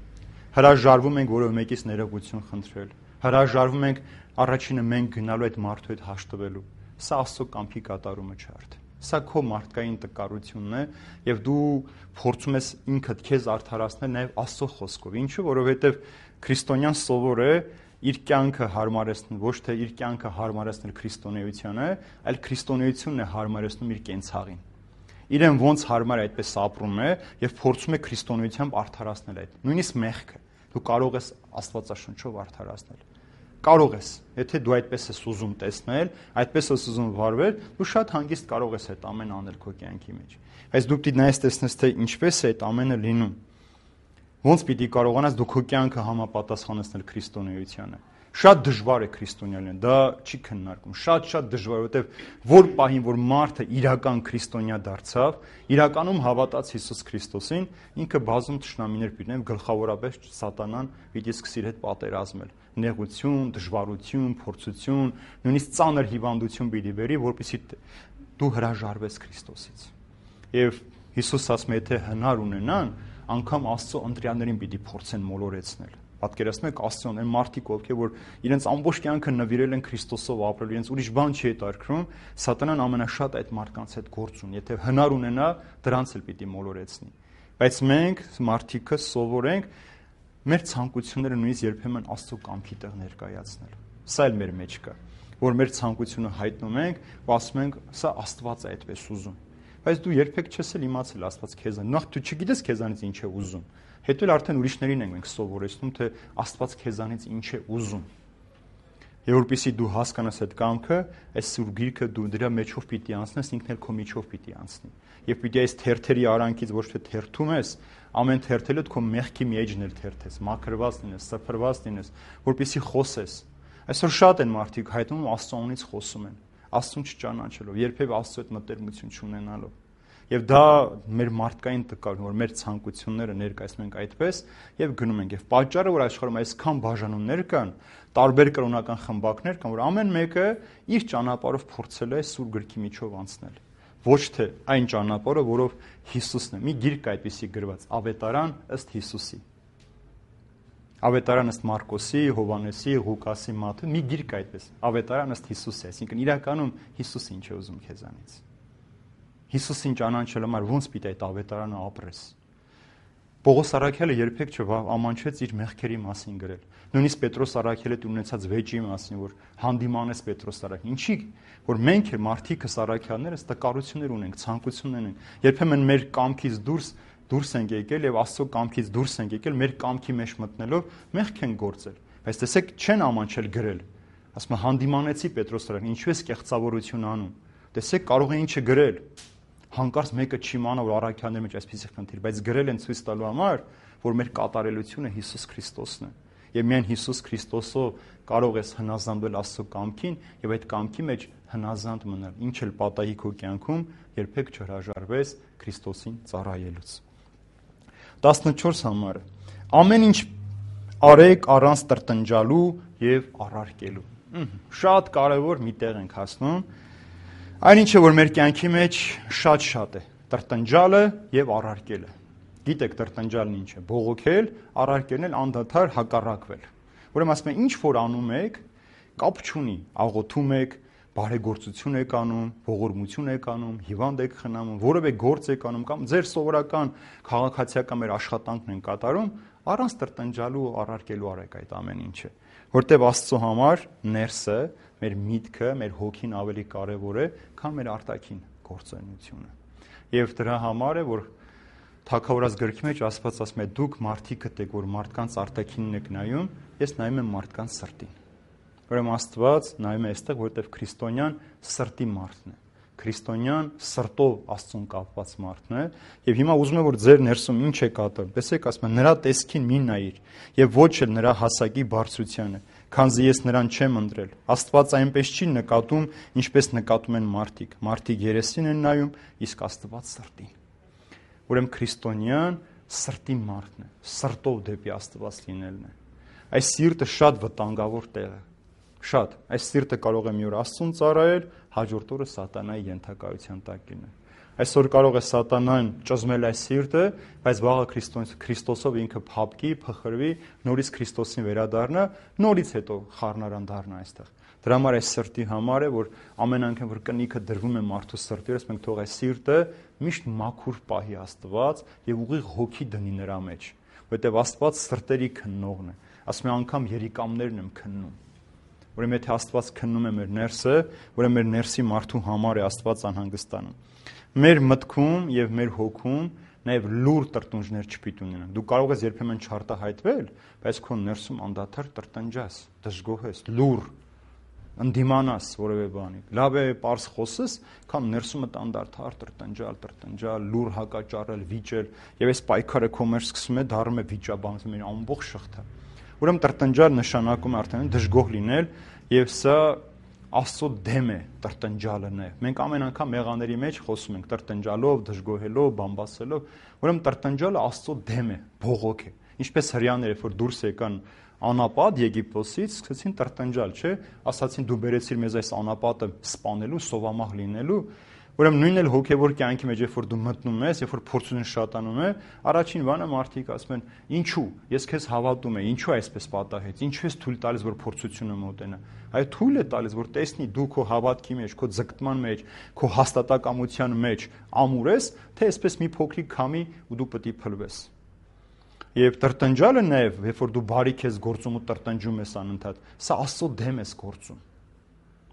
հրաժարվում ենք որևէ մեկից ներողություն խնդրել, հրաժարվում ենք առաջինը մենք գնալու այդ մարդու հետ հաշտվելու։ Սա Աստծո կամքի կատարումը չէ արդեն։ Սա քո մարդկային տկարությունն է եւ դու փորձում ես ինքդ քեզ արդարացնել նաեւ Աստծո խոսքով։ Ինչու՞, որովհետեւ քրիստոնյան սովոր է իր կյանքը հարմարեցնել, ոչ թե իր կյանքը հարմարեցնել քրիստոնեությանը, այլ քրիստոնեությունն է հարմարեցնում իր կենցաղին։ Իրեն ոնց հարմար է այդպես ապրում է եւ փորձում է քրիստոնեությամբ արդարացնել այդ։ Նույնիսկ մեղքը դու կարող ես Աստվածաշնչով արդարացնել։ Կարող ես, եթե դու այդպես ես ուզում տեսնել, այդպես ես ուզում վարվել, դու շատ հանգիստ կարող ես այդ ամենը անել քո կյանքի մեջ։ Բայց դու պիտի նայես տեսնես, թե ինչպես է այդ ամենը լինում։ Ոնց պիտի կարողանաս դու քո կյանքը համապատասխանեցնել քրիստոնեությանը։ Շատ դժվար է քրիստոնյալն, դա չի քննարկում։ Շատ-շատ դժվար, որովհետև որ պահին, որ մարդը իրական քրիստոնյա դարձավ, իրականում հավատաց Հիսուս Քրիստոսին, ինքը բազում թշնամիներ պիտի ունենա, գլխավորապես սատանան պիտի սկսի իր հետ պատերազմել։ Նեղություն, դժվարություն, փորձություն, նույնիսկ ծանր հիվանդություն պիտի բերի, որպեսզի դու հրաժարվես Քրիստոսից։ Եվ Հիսուս ասում է, եթե հնար ունենան, անգամ Աստծո ընտրյալներին պիտի փորձեն մոլորեցնել։ Պատկերացնում եք Աստծուն, այն մարդիկ, ովքեր որ իրենց ամբողջ կյանքը նվիրել են Քրիստոսով ապրել, իրենց ուրիշ բան չի հետաքրքրում, սատանան ամենաշատ այդ մարդկանց հետ գործ ունի։ Եթե հնար ունենա, դրանց էլ պիտի մոլորեցնի։ Բայց մենք մարդիկը սովոր ենք մեր ցանկությունները նույնիսկ երբեմն Աստծո կամքի տեղ ներկայացնել։ Սա էլ մեր մեջ կա, որ մեր ցանկությունը հայտնում ենք ու ասում ենք, սա Աստված է այդպես ուզում։ Բայց դու երբեք չես էլ իմացել Աստված քեզան։ Նախ դու չգիտես քեզանից ինչ է ուզում։ Հետո էլ արդեն ուրիշներին ենք մենք սովորեցնում, թե Աստված քեզանից ինչ է ուզում։ Եվ որպեսզի դու հասկանաս այդ կամքը, այս սուրբ գիրքը դու դրա մեջով պիտի անցնես, ինքն էլ քո միջով պիտի անցնի։ Եվ պիտի այս թերթերի արանքից ոչ թե թերթում ես, ամեն թերթելուդ քո մեղքի մի էջն էլ թերթես, մաքրված լինես, սփռված լինես, որպեսզի խոսես, Այսօր շատ են մարդիկ հայտնում Աստծո անունից խոսում են, Աստծուն չճանաչելով, երբևէ Աստծո հետ մտերմություն չունենալով։ Եվ դա մեր մարդկային տկարն, որ մեր ցանկությունները ներկայացնում ենք այդպես եւ գնում ենք։ Եվ պատճառը, որ աշխարհում այսքան բաժանումներ կան, տարբեր կրոնական խմբակներ կան, որ ամեն մեկը իր ճանապարհով փորձել է Սուրբ Գրքի միջով անցնել։ Ոչ թե այն ճանապարհը, որով Հիսուսն է։ Մի գիրք այդպիսի գրված՝ Ավետարան ըստ Հիսուսի։ Ավետարան ըստ Մարկոսի, Հովանեսի, Ղուկասի, Մատթեոս, մի գիրք այդպես։ Ավետարան ըստ Հիսուսի, այսինքն իրականում Հիսուսը ինչ է ուզում քեզանից։ Հիսուսին ճանաչելու համար ո՞նց պիտի այդ ավետարանը ապրես։ Պողոս Առաքյալը երբեք չամանչեց իր մեղքերի մասին գրել։ Նույնիսկ Պետրոս Առաքյալը ունեցած վեճի մասին, որ հանդիմանես Պետրոս Առաքյալին։ Ինչի՞ որ մենք էլ մարդիկս առաքյալներս տկարություններ ունենք, ցանկություններ ունենք։ Երբեմն մեր կամքից դուրս դուրս ենք եկել եւ Աստծո կամքից դուրս ենք եկել, մեր կամքի մեջ մտնելով մեղք են գործել։ Բայց տեսեք, չեն ամանչել գրել։ Ասում է հանդիմանեցի Պետրոս Առաքյալին, ինչու ես կեղծավորություն անում։ Տեսեք, կարող է ինչը գրել։ Հանկարծ մեկը չիմանա, որ առաքյալների մեջ այսպիսի խնդիր, բայց գրել են ցույց տալու համար, որ մեր կատարելությունը Հիսուս Քրիստոսն է։ Եվ միայն Հիսուս Քրիստոսով կարող ես հնազանդվել Աստծո կամքին եւ այդ կամքի մեջ հնազանդ մնալ։ Ինչ էլ պատահի քո կյանքում, երբեք չհրաժարվես Քրիստոսին ծառայելուց։ տասնչորս համարը։ Ամեն ինչ արեք առանց տրտնջալու եւ առարկելու։ Շատ կարեւոր մի տեղ ենք հասնում։ Այնինչը որ մեր կյանքի մեջ շատ-շատ է, տրտնջալը եւ առարկելը։ Գիտեք տրտնջալն ինչ է, բողոքել, առարկելն էլ անդադար հակառակվել։ Ուրեմն ասում եմ, ինչ որ անում եք, կապ չունի, աղոթում եք, բարեգործություն եք անում, ողորմություն եք անում, հիվանդ եք խնամում, որևէ գործ եք անում կամ ձեր սովորական քաղաքացիական մեր աշխատանքն են կատարում, առանց տրտնջալու ու առարկելու արեք այդ ամեն ինչը, որտեղ Աստծո համար ներսը, մեր միտքը, մեր հոգին ավելի կարևոր է, քան մեր արտաքին գործունեությունը։ Եվ դրա համար է, որ Թագավորաց գրքի մեջ Աստված ասում է՝ դուք մարդիկդ եք, որ մարդկանց արտաքինն եք նայում, ես նայում եմ մարդկանց սրտին։ Ուրեմն Աստված նայում է այստեղ, որտեղ քրիստոնյան սրտի մարդն է։ Քրիստոնյան սրտով Աստծուն կապված մարդն է, եւ հիմա ուզում եմ որ ձեր ներսում ինչ է կատարում։ Տեսեք, ասում եմ, նրա տեսքին մի նայիր եւ ոչ էլ նրա հասակի բարձրությանը, քանզի ես նրան չեմ ընտրել։ Աստված այնպես չի նկատում, ինչպես նկատում են մարդիկ։ Մարդիկ երեսին են նայում, իսկ Աստված սրտին։ Ուրեմն քրիստոնյան սրտի մարդն է, սրտով դեպի Աստված լինելն է։ Այս սիրտը շատ վտանգավոր տեղ է։ Շատ, այս սիրտը կարող է մի օր Աստծուն ծառայել, հաջորդ օրը սատանայի ենթակայության տակ լինել։ Այսօր կարող է սատանան ճզմել այս սիրտը, բայց վաղը Քրիստոսով ինքը փափկի, փխրվի, նորից Քրիստոսին վերադառնա, նորից հետո խառնարան դառնա այստեղ։ Դրա համար այս սրտի համար է, որ ամեն անգամ որ կնիքը դրվում է մարդու սրտի վրա, մենք թող այս սիրտը միշտ մաքուր պահի Աստված եւ ուղիղ հոգի դնի նրա մեջ, որովհետեւ Աստված սրտերի քննողն է։ Ասում է անգամ երիկամներն եմ քննում։ Ուրեմն եթե Աստված քննում է մեր ներսը, ուրեմն մեր ներսի մարդու համար է Աստված անհանգստանում։ Մեր մտքում եւ մեր հոգում նաեւ լուր տրտունջներ չպիտի ունենան։ Դու կարող ես երբեմն չարտահայտվել, բայց քո ներսում անդադար տրտնջաս, դժգոհես, լուր, ընդդիմանաս որևէ բանի։ Լավ է պարզ խոսես, քան ներսումդ անդադար տրտնջալ, տրտնջալ, լուր հակաճառել, վիճել, եւ այս պայքարը քո մեջ սկսում է դառնում է վիճաբանություն, մի ամբողջ շղթա։ Ուրեմն տրտնջալ նշանակում է արդեն դժգոհ լինել, եւ սա Աստծո դեմ է տրտնջալը նաեւ։ Մենք ամեն անգամ մեղաների մեջ խոսում ենք տրտնջալով, դժգոհելով, բամբասելով, ուրեմն տրտնջալը Աստծո դեմ է, բողոք է։ Ինչպես հрьяաները, որ դուրս եկան անապատ Եգիպտոսից, սկսեցին տրտնջալ, չէ՞, ասացին դու բերեցիր մեզ այս անապատը սպանելու, սովամահ լինելու։ Ուրեմն նույնն էլ հոգևոր կյանքի մեջ, երբ որ դու մտնում ես, երբ որ փորձությունն շատանում է, առաջին բանը մարդիկ ասում են. «Ինչու՞, ես քեզ հավատում եմ, ինչու այսպես պատահեց, ինչու ես թույլ տալիս, որ փորձությունը մոտենա»։ Այո, թույլ է տալիս, որ տեսնի դու քո հավատքի մեջ, քո ձգտման մեջ, քո հաստատակամության մեջ ամուր ես, թե այսպես մի փոքրիկ քամի ու դու պետք է փլվես։ Եվ տրտնջալը նաև, երբ որ դու բարիք ես գործում ու տրտնջում ես անընդհատ, սա Աստծո դեմ ես գործում։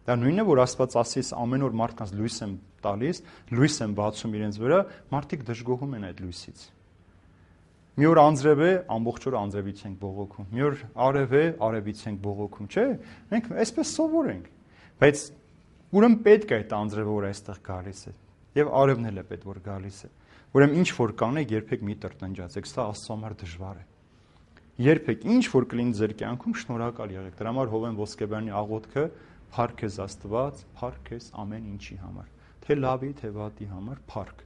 Դա նույնն է, որ Աստված ասի, ամեն օր մարդկանց լույս եմ տալիս, լույս եմ բացում իրենց վրա, մարդիկ դժգոհում են այդ լույսից։ Մի օր անձրև է, ամբողջ օրը անձրևից ենք բողոքում։ Մի օր արև է, արևից ենք բողոքում, չէ՞։ Մենք այսպես սովոր ենք։ Բայց ուրեմն պետք է այդ անձրևը, որ այստեղ գալիս է, եւ արևն էլ է պետք որ գալիս է։ Ուրեմն ինչ որ կանեք, երբեք մի տրտնջացեք, սա Աստծո համար դժվար է։ երբեք ինչ որ կլինի ձեր կյանքում շնորհակալ եղեք։ Դրա համար Հովեն Ոսկեբյանի աղոթքը փառք քեզ Աստված, փառք քեզ ամեն ինչի համար, թե լավի, թե վատի համար, փառք։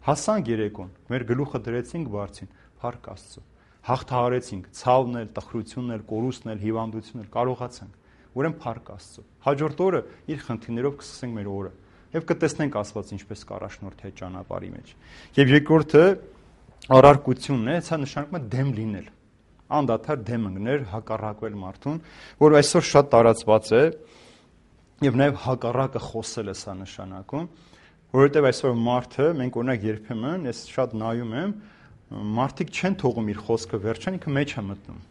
Հասանք երեկոն, մեր գլուխը դրեցինք բարձին, փառք Աստծո։ Հաղթահարեցինք ցավն էլ, տխրությունն էլ, կորուստն էլ, հիվանդությունն էլ, կարողացանք։ Ուրեմն փառք Աստծո։ Հաջորդ օրը իր խնդիրներով կսկսենք մեր օրը եւ կտեսնենք Աստված ինչպես կառաջնորդի այդ ճանապարհի մեջ։ Եվ երկրորդը առարկությունն է, սա նշանակում է դեմ լինել։ Անդադար դեմ ընկնել, հակառակվել մարդուն, որ այսօր շատ տարածված է եւ նաեւ հակառակը խոսել է սա նշանակում, որովհետեւ այսօր մարդը, մենք օրինակ երբեմն, ես շատ նայում եմ, մարդիկ չեն թողում իր խոսքը վերջան, ինքը մեջ է մտնում։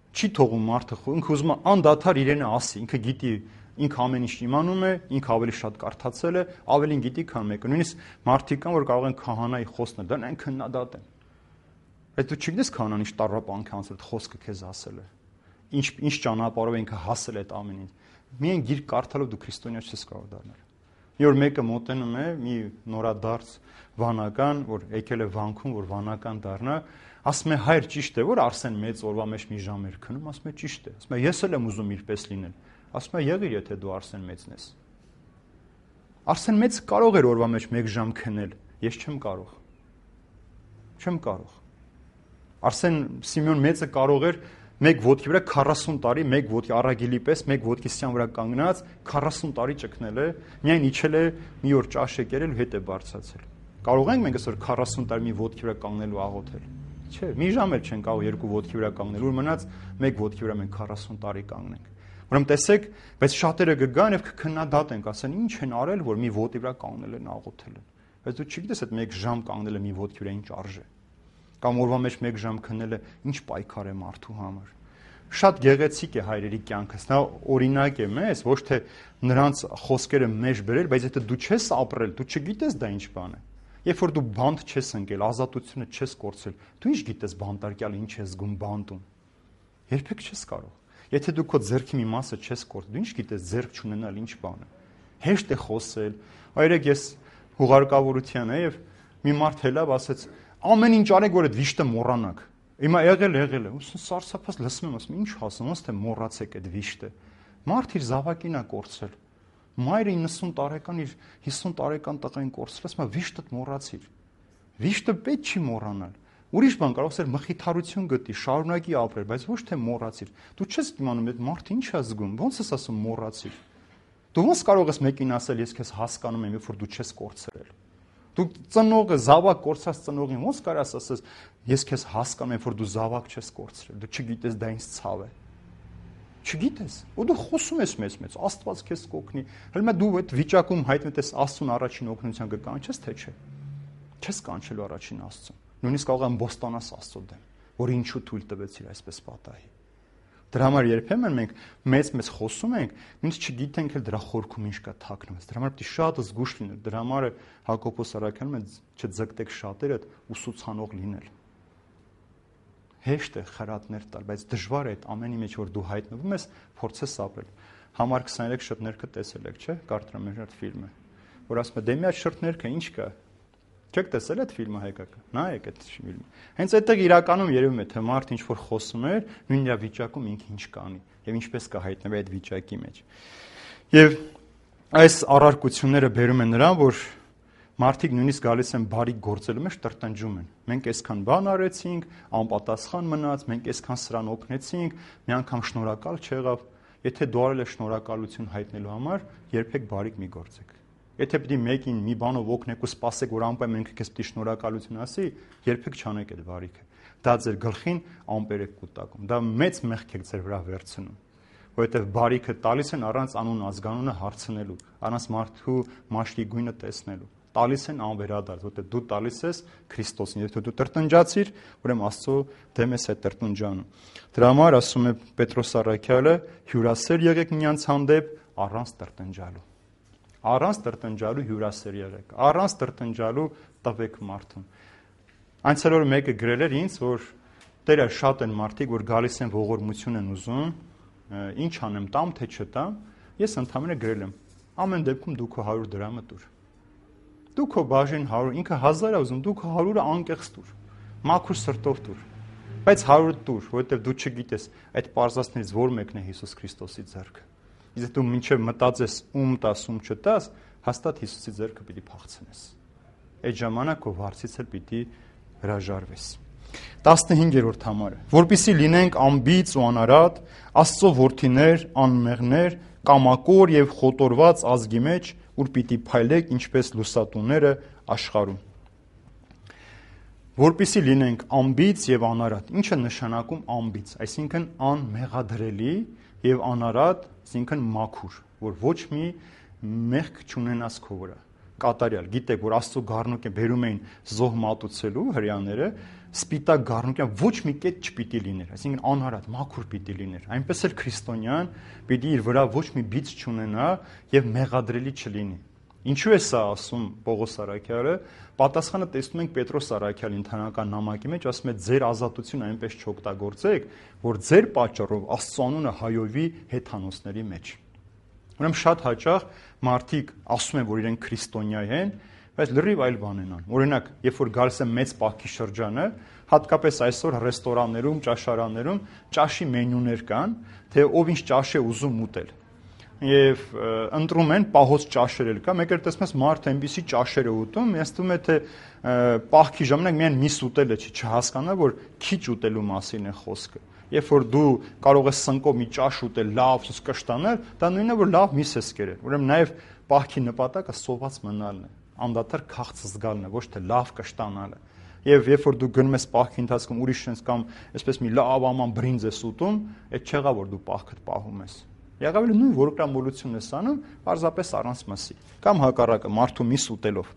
Չի թողում մարդը, ինքը ուզում է անդադար իրենը ասի, ինքը գիտի, ինքը ամեն ինչ իմանում է, ինքը ավելի շատ կարդացել է, ավելին գիտի, քան մեկը։ Նույնիսկ մարդիկ կան, որ կարող են քահանայի խոստնել, դա այն քննադատ են։ Բայց դու չգիտես քահանան ինչ տարապանք անցել, այդ խոսքը քեզ ասել է։ Ինչ ինչ ճանապարհով ինքը հասել է այդ ամեն ինչ։ Միայն գիրք կարդալով դու քրիստոնյա չես կարող դառնալ։ Մի օր մեկը մոտենում է, մի նորադարձ վանական, որ եկել է վանքում, որ վանական դառնա, ասում է հայր ճիշտ է, որ Արսեն մեծ օրվա մեջ մի ժամ էր քնում, ասում է ճիշտ է։ Ասում է ես էլ եմ ուզում իրպես լինել։ Ասում է եղիր, եթե դու Արսեն մեծն ես։ Արսեն մեծ կարող էր օրվա մեջ մեկ ժամ քնել, ես չեմ կարող։ Չեմ կարող։ Արսեն Սիմեոն մեծը կարող էր մեկ ոտքի վրա քառասուն տարի, մեկ ոտքի առագիլի պես, մեկ ոտքի սյան վրա կանգնած քառասուն տարի ճկնել է, միայն իջել է մի օր ճաշ է կերել ու հետ է բարձրացել։ Կարող ենք մենք այսօր քառասուն տարի մի ոտքի վրա կանգնել ու աղոթել։ Չէ, մի ժամ էլ չեն կարող երկու ոտքի վրա կանգնել, որ մնաց մեկ ոտքի վրա մենք քառասուն տարի կանգնենք։ Ուրեմն տեսեք, բայց շատերը կգան եւ կքննադատեն, ասեն ինչ են արել, որ մի ոտի վրա կանգնել են աղոթել են։ Բայց դու չգիտես այդ մեկ ժամ կանգնելը մի ոտքի վրա ինչ արժե։ Կամ օրվա մեջ մեկ ժամ քննելը ինչ պայքար է մարդու համար։ Շատ գեղեցիկ է հայրերի կյանքս։ Նա օրինակ է մեզ, ոչ թե նրանց խոսքերը մեջ բերել, բայց եթե դու չես ապրել, դու չգիտես դա ինչ բան է։ Երբ որ դու բանտ չես ընկել, ազատությունը չես կորցրել, դու ինչ գիտես բանտարկյալ ինչ է զգում բանտում։ Երբեք չես կարող։ Եթե դու քո ձեռքի մի մասը չես կորցրել, դու ինչ գիտես ձեռք չունենալ ինչ բան է։ Հեշտ է խոսել։ Այրեք ես հուղարկավորության է եւ մի մարդ հելավ ասեց ամեն ինչ արեք, որ այդ վիշտը մոռանաք։ Հիմա եղել եղել է, ուսն սարսափած լսում եմ, ասում ինչ ասում, ոնց թե մոռացեք այդ վիշտը։ Մարդ իր զավակին է կորցրել։ Մայրը իննսուն տարեկան իր հիսուն տարեկան տղային կորցրել, ասում է վիշտդ մոռացիր։ Վիշտը պետք չի մոռանալ։ Ուրիշ բան կարող է մխիթարություն գտի, շարունակի ապրել, բայց ոչ թե մոռացիր։ Դու չես իմանում այդ մարդը ինչ է զգում, ոնց ես ասում մոռացիր։ Դու ոնց կարող ես մեկին ասել, ես քեզ հասկանում եմ, երբ որ դու չես կորցրել։ Դու ծնողը զավակ կորցած ծնողին ոնց կարաս ասես ես քեզ հասկանում եմ որ դու զավակ չես կորցրել դու չգիտես դա ինձ ցավ է չգիտես ու դու խոսում ես մեզ մեծ Աստված քեզ կօգնի հələ դու այդ վիճակում հայտնվես Աստծուն առաջին օգնության կկանչես թե չէ չես կանչելու առաջին Աստծուն նույնիսկ կարող եմ բոստանաս Աստծո դեմ որ ինչու թույլ տվեցիր այսպես պատահի Դրա համար երբեմն մենք մեծ-մեծ խոսում ենք, նույնիսկ չգիտենք էլ դրա խորքում ինչ կա թաքնված։ Դրա համար պետք է շատ զգուշ լինել։ Դրա համար Հակոբոս Արաքյանը մենք չձգտեք շատերը ուսուցանող լինել։ Հեշտ է խրատներ տալ, բայց դժվար է այդ ամենի մեջ որ դու հայտնվում ես, փորձես ապրել։ Համար քսաներեք շրթներքը տեսել եք, չէ՞, Կարտրամեժ այդ ֆիլմը, որ ասում է դե մի հատ շրթներքը ինչ կա։ Չեք տեսել այդ ֆիլմը հայկական։ Նայեք այդ ֆիլմը։ Հենց այդտեղ իրականում երևում է թե մարդ ինչ որ խոսում է, նույն իր վիճակում ինքը ինչ կանի եւ ինչպես կա հայտնվի այդ վիճակի մեջ։ Եվ այս առարկությունները բերում են նրան, որ մարդիկ նույնիսկ գալիս են բարի գործելու մեջ տրտնջում են։ Մենք այսքան բան արեցինք, անպատասխան մնաց, մենք այսքան սրան օգնեցինք, մի անգամ շնորհակալ չեղավ։ Եթե դու արել ես շնորհակալություն հայտնելու համար, երբեք բարիք մի գործեք։ Եթե պիտի մեկին մի բանով օգնեք ու սպասեք, որ անպայման ինքը քեզ պիտի շնորհակալություն ասի, երբեք չանեք այդ բարիքը։ Դա ձեր գլխին ամպեր եք կուտակում։ Դա մեծ մեղք եք ձեր վրա վերցնում, որովհետև բարիքը տալիս են առանց անուն ազգանունը հարցնելու, առանց մարդու մաշկի գույնը տեսնելու։ Տալիս են անվերադարձ, որովհետև դու տալիս ես Քրիստոսին, եթե դու տրտնջացիր, ուրեմն Աստծո դեմ ես այդ տրտնջանում։ Դրա համար ասում է Պետրոս Առաքյալը, հյուրասեր եղեք միմյանց հանդեպ առանց տրտնջալու։ Առանց տրտնջալու հյուրասեր եղեք, առանց տրտնջալու տվեք մարդուն։ Այնցել որ մեկը գրել էր ինձ, որ Տերը շատ են մարդիկ, որ գալիս են ողորմություն են ուզում, ինչ անեմ, տամ թե չտամ, ես ընդհանրապես գրել եմ, ամեն դեպքում դու քո հարյուր դրամը տուր։ Դու քո բաժին հարյուր, ինքը հազար է ուզում, դու քո հարյուրը անկեղծ տուր, մաքուր սրտով տուր։ Բայց հարուրդ տուր, որովհետև դու չգիտես այդ պարզածներից որ մեկն է Հիսուս Քրիստոսի ձեռքը։ Իսկ դու մինչև մտածես ում տաս, ում չտաս, հաստատ Հիսուսի ձեռքը պիտի փախցնես։ Այդ ժամանակ քո վարձից էլ պիտի հրաժարվես։ տասնհինգերորդ համարը, որպեսզի լինենք անբիծ ու անարատ, Աստծո որդիներ, անմեղներ, կամակոր եւ խոտորված ազգի մեջ, ուր պիտի փայլեք ինչպես լուսատուները աշխարհում։ Որպեսզի լինենք անբիծ եւ անարատ։ Ինչ է նշանակում անբիծ, այսինքն անմեղադրելի եւ անարատ, այսինքն մաքուր, որ ոչ մի մեղք չունենաս քո վրա։ Կատարյալ, գիտեք, որ Աստծո գառնուկը բերում էին զոհ մատուցելու հрьяաները, սպիտակ գառնուկը ոչ մի կետ չպիտի լիներ, այսինքն անարատ, մաքուր պիտի լիներ։ Այնպես էլ քրիստոնյան պիտի իր վրա ոչ մի բիծ չունենա եւ մեղադրելի չլինի։ Ինչու է սա ասում Պողոս Արաքյալը։ Պատասխանը տեսնում ենք Պետրոս Արաքյալի ընթանական նամակի մեջ, ասում է ձեր ազատությունը այնպես չօգտագործեք, որ ձեր պատճառով Աստծո անունը հայովի հեթանոսների մեջ։ Ուրեմն շատ հաճախ մարդիկ ասում են, որ իրենք քրիստոնյա են, բայց լրիվ այլ բան են անում։ Օրինակ, երբ որ գալիս է մեծ պահքի շրջանը, հատկապես այսօր ռեստորաններում, ճաշարաններում ճաշի մենյուներ կան, թե ով ինչ ճաշ է ուզում ուտել։ Եվ ընտրում են պահոց ճաշեր էլ կա, մեկ էլ տեսնում ես մարդը այնպիսի ճաշեր է ուտում, ես թվում է թե պահքի ժամանակ միայն միս ուտելը չի, չհասկանա, որ քիչ ուտելու մասին է խոսքը։ Երբ որ դու կարող ես սնկով մի ճաշ ուտել, լավ սուս կշտանել, դա նույնն է, որ լավ միս ես կերել։ Ուրեմն նաև պահքի նպատակը սոված մնալն է, անդադար քաղց զգալն է, ոչ թե լավ կշտանալը։ Եվ երբ որ դու գնում ես պահքի ընթացքում ուրիշից կամ այսպես մի լավ աման բրինձ ես ուտում, այդ չեղա որ դու պահքդ պահում ես։ Եղավ էլ նույն որոկրամոլությունն ես անում, պարզապես առանց մսի, կամ հակառակը մարդու միս ուտելով։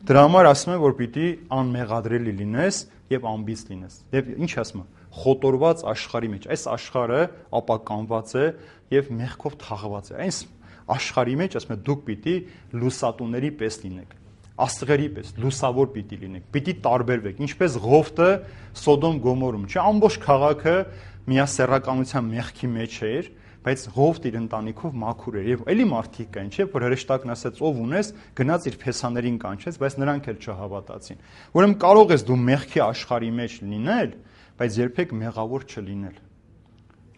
Դրա համար ասում են, որ պիտի անմեղադրելի լինես եւ անբիծ լինես։ Եվ ինչ ասում է, խոտորված աշխարհի մեջ։ Այս աշխարհը ապականված է եւ մեղքով թաղված է։ Այս աշխարհի մեջ ասում է դուք պիտի լուսատուների պես լինեք, աստղերի պես, լուսավոր պիտի լինեք, պիտի տարբերվեք, ինչպես Ղովտը Սոդոմ Գոմորում, չէ, ամբողջ քաղաքը միասեռականության մեղքի մեջ էր, բայց Ղովտ իր ընտանիքով մաքուր էր եւ էլի մարդիկ կային, չէ, որ հրեշտակն ասեց ով ունես, գնաց իր փեսաներին կանչեց, բայց նրանք էլ չհավատացին։ Ուրեմն կարող ես դու մեղքի աշխարհի մեջ լինել, բայց երբեք մեղավոր չլինել։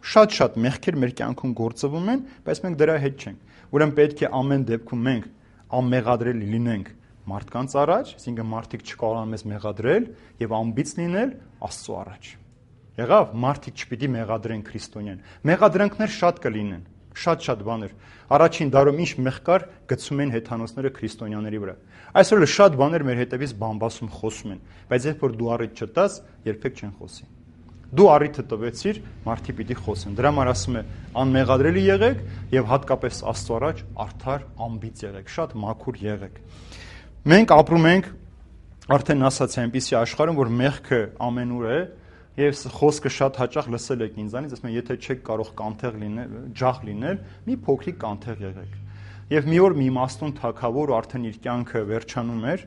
Շատ-շատ մեղքեր մեր կյանքում գործվում են, բայց մենք դրա հետ չենք։ Ուրեմն պետք է ամեն դեպքում մենք անմեղադրելի լինենք մարդկանց առաջ, այսինքն մարդիկ չկարողան մեզ մեղադրել եւ անբիծ լինել Աստծո առաջ։ Եղավ, մարդիկ չպիտի մեղադրեն քրիստոնյան։ Մեղադրանքներ շատ կլինեն, շատ-շատ բաներ։ Առաջին դարում ինչ մեղք կար, գցում են հեթանոսները քրիստոնյաների վրա։ Այսօր շատ բաներ մեր հետևից բամբասում խոսում են, բայց երբ որ դու առիթ չտաս, երբեք չեն խոսի։ Դու առիթը տվեցիր, մարդիկ պիտի խոսեն։ Դրա համար ասում է անմեղադրելի եղեք եւ հատկապես Աստծո առաջ արդար, անբիծ եղեք, շատ մաքուր եղեք։ Մենք ապրում ենք արդեն ասացի այնպիսի աշխարհում, որ մեղքը ամենուր է եւ խոսքը շատ հաճախ լսել եք ինձանից, ասում են, եթե չեք կարող կանթեղ լինել, ջախ լինել, մի փոքրիկ կանթեղ եղեք։ Եվ մի օր մի իմաստուն թագավոր ու արդեն իր կյանքը վերջանում էր,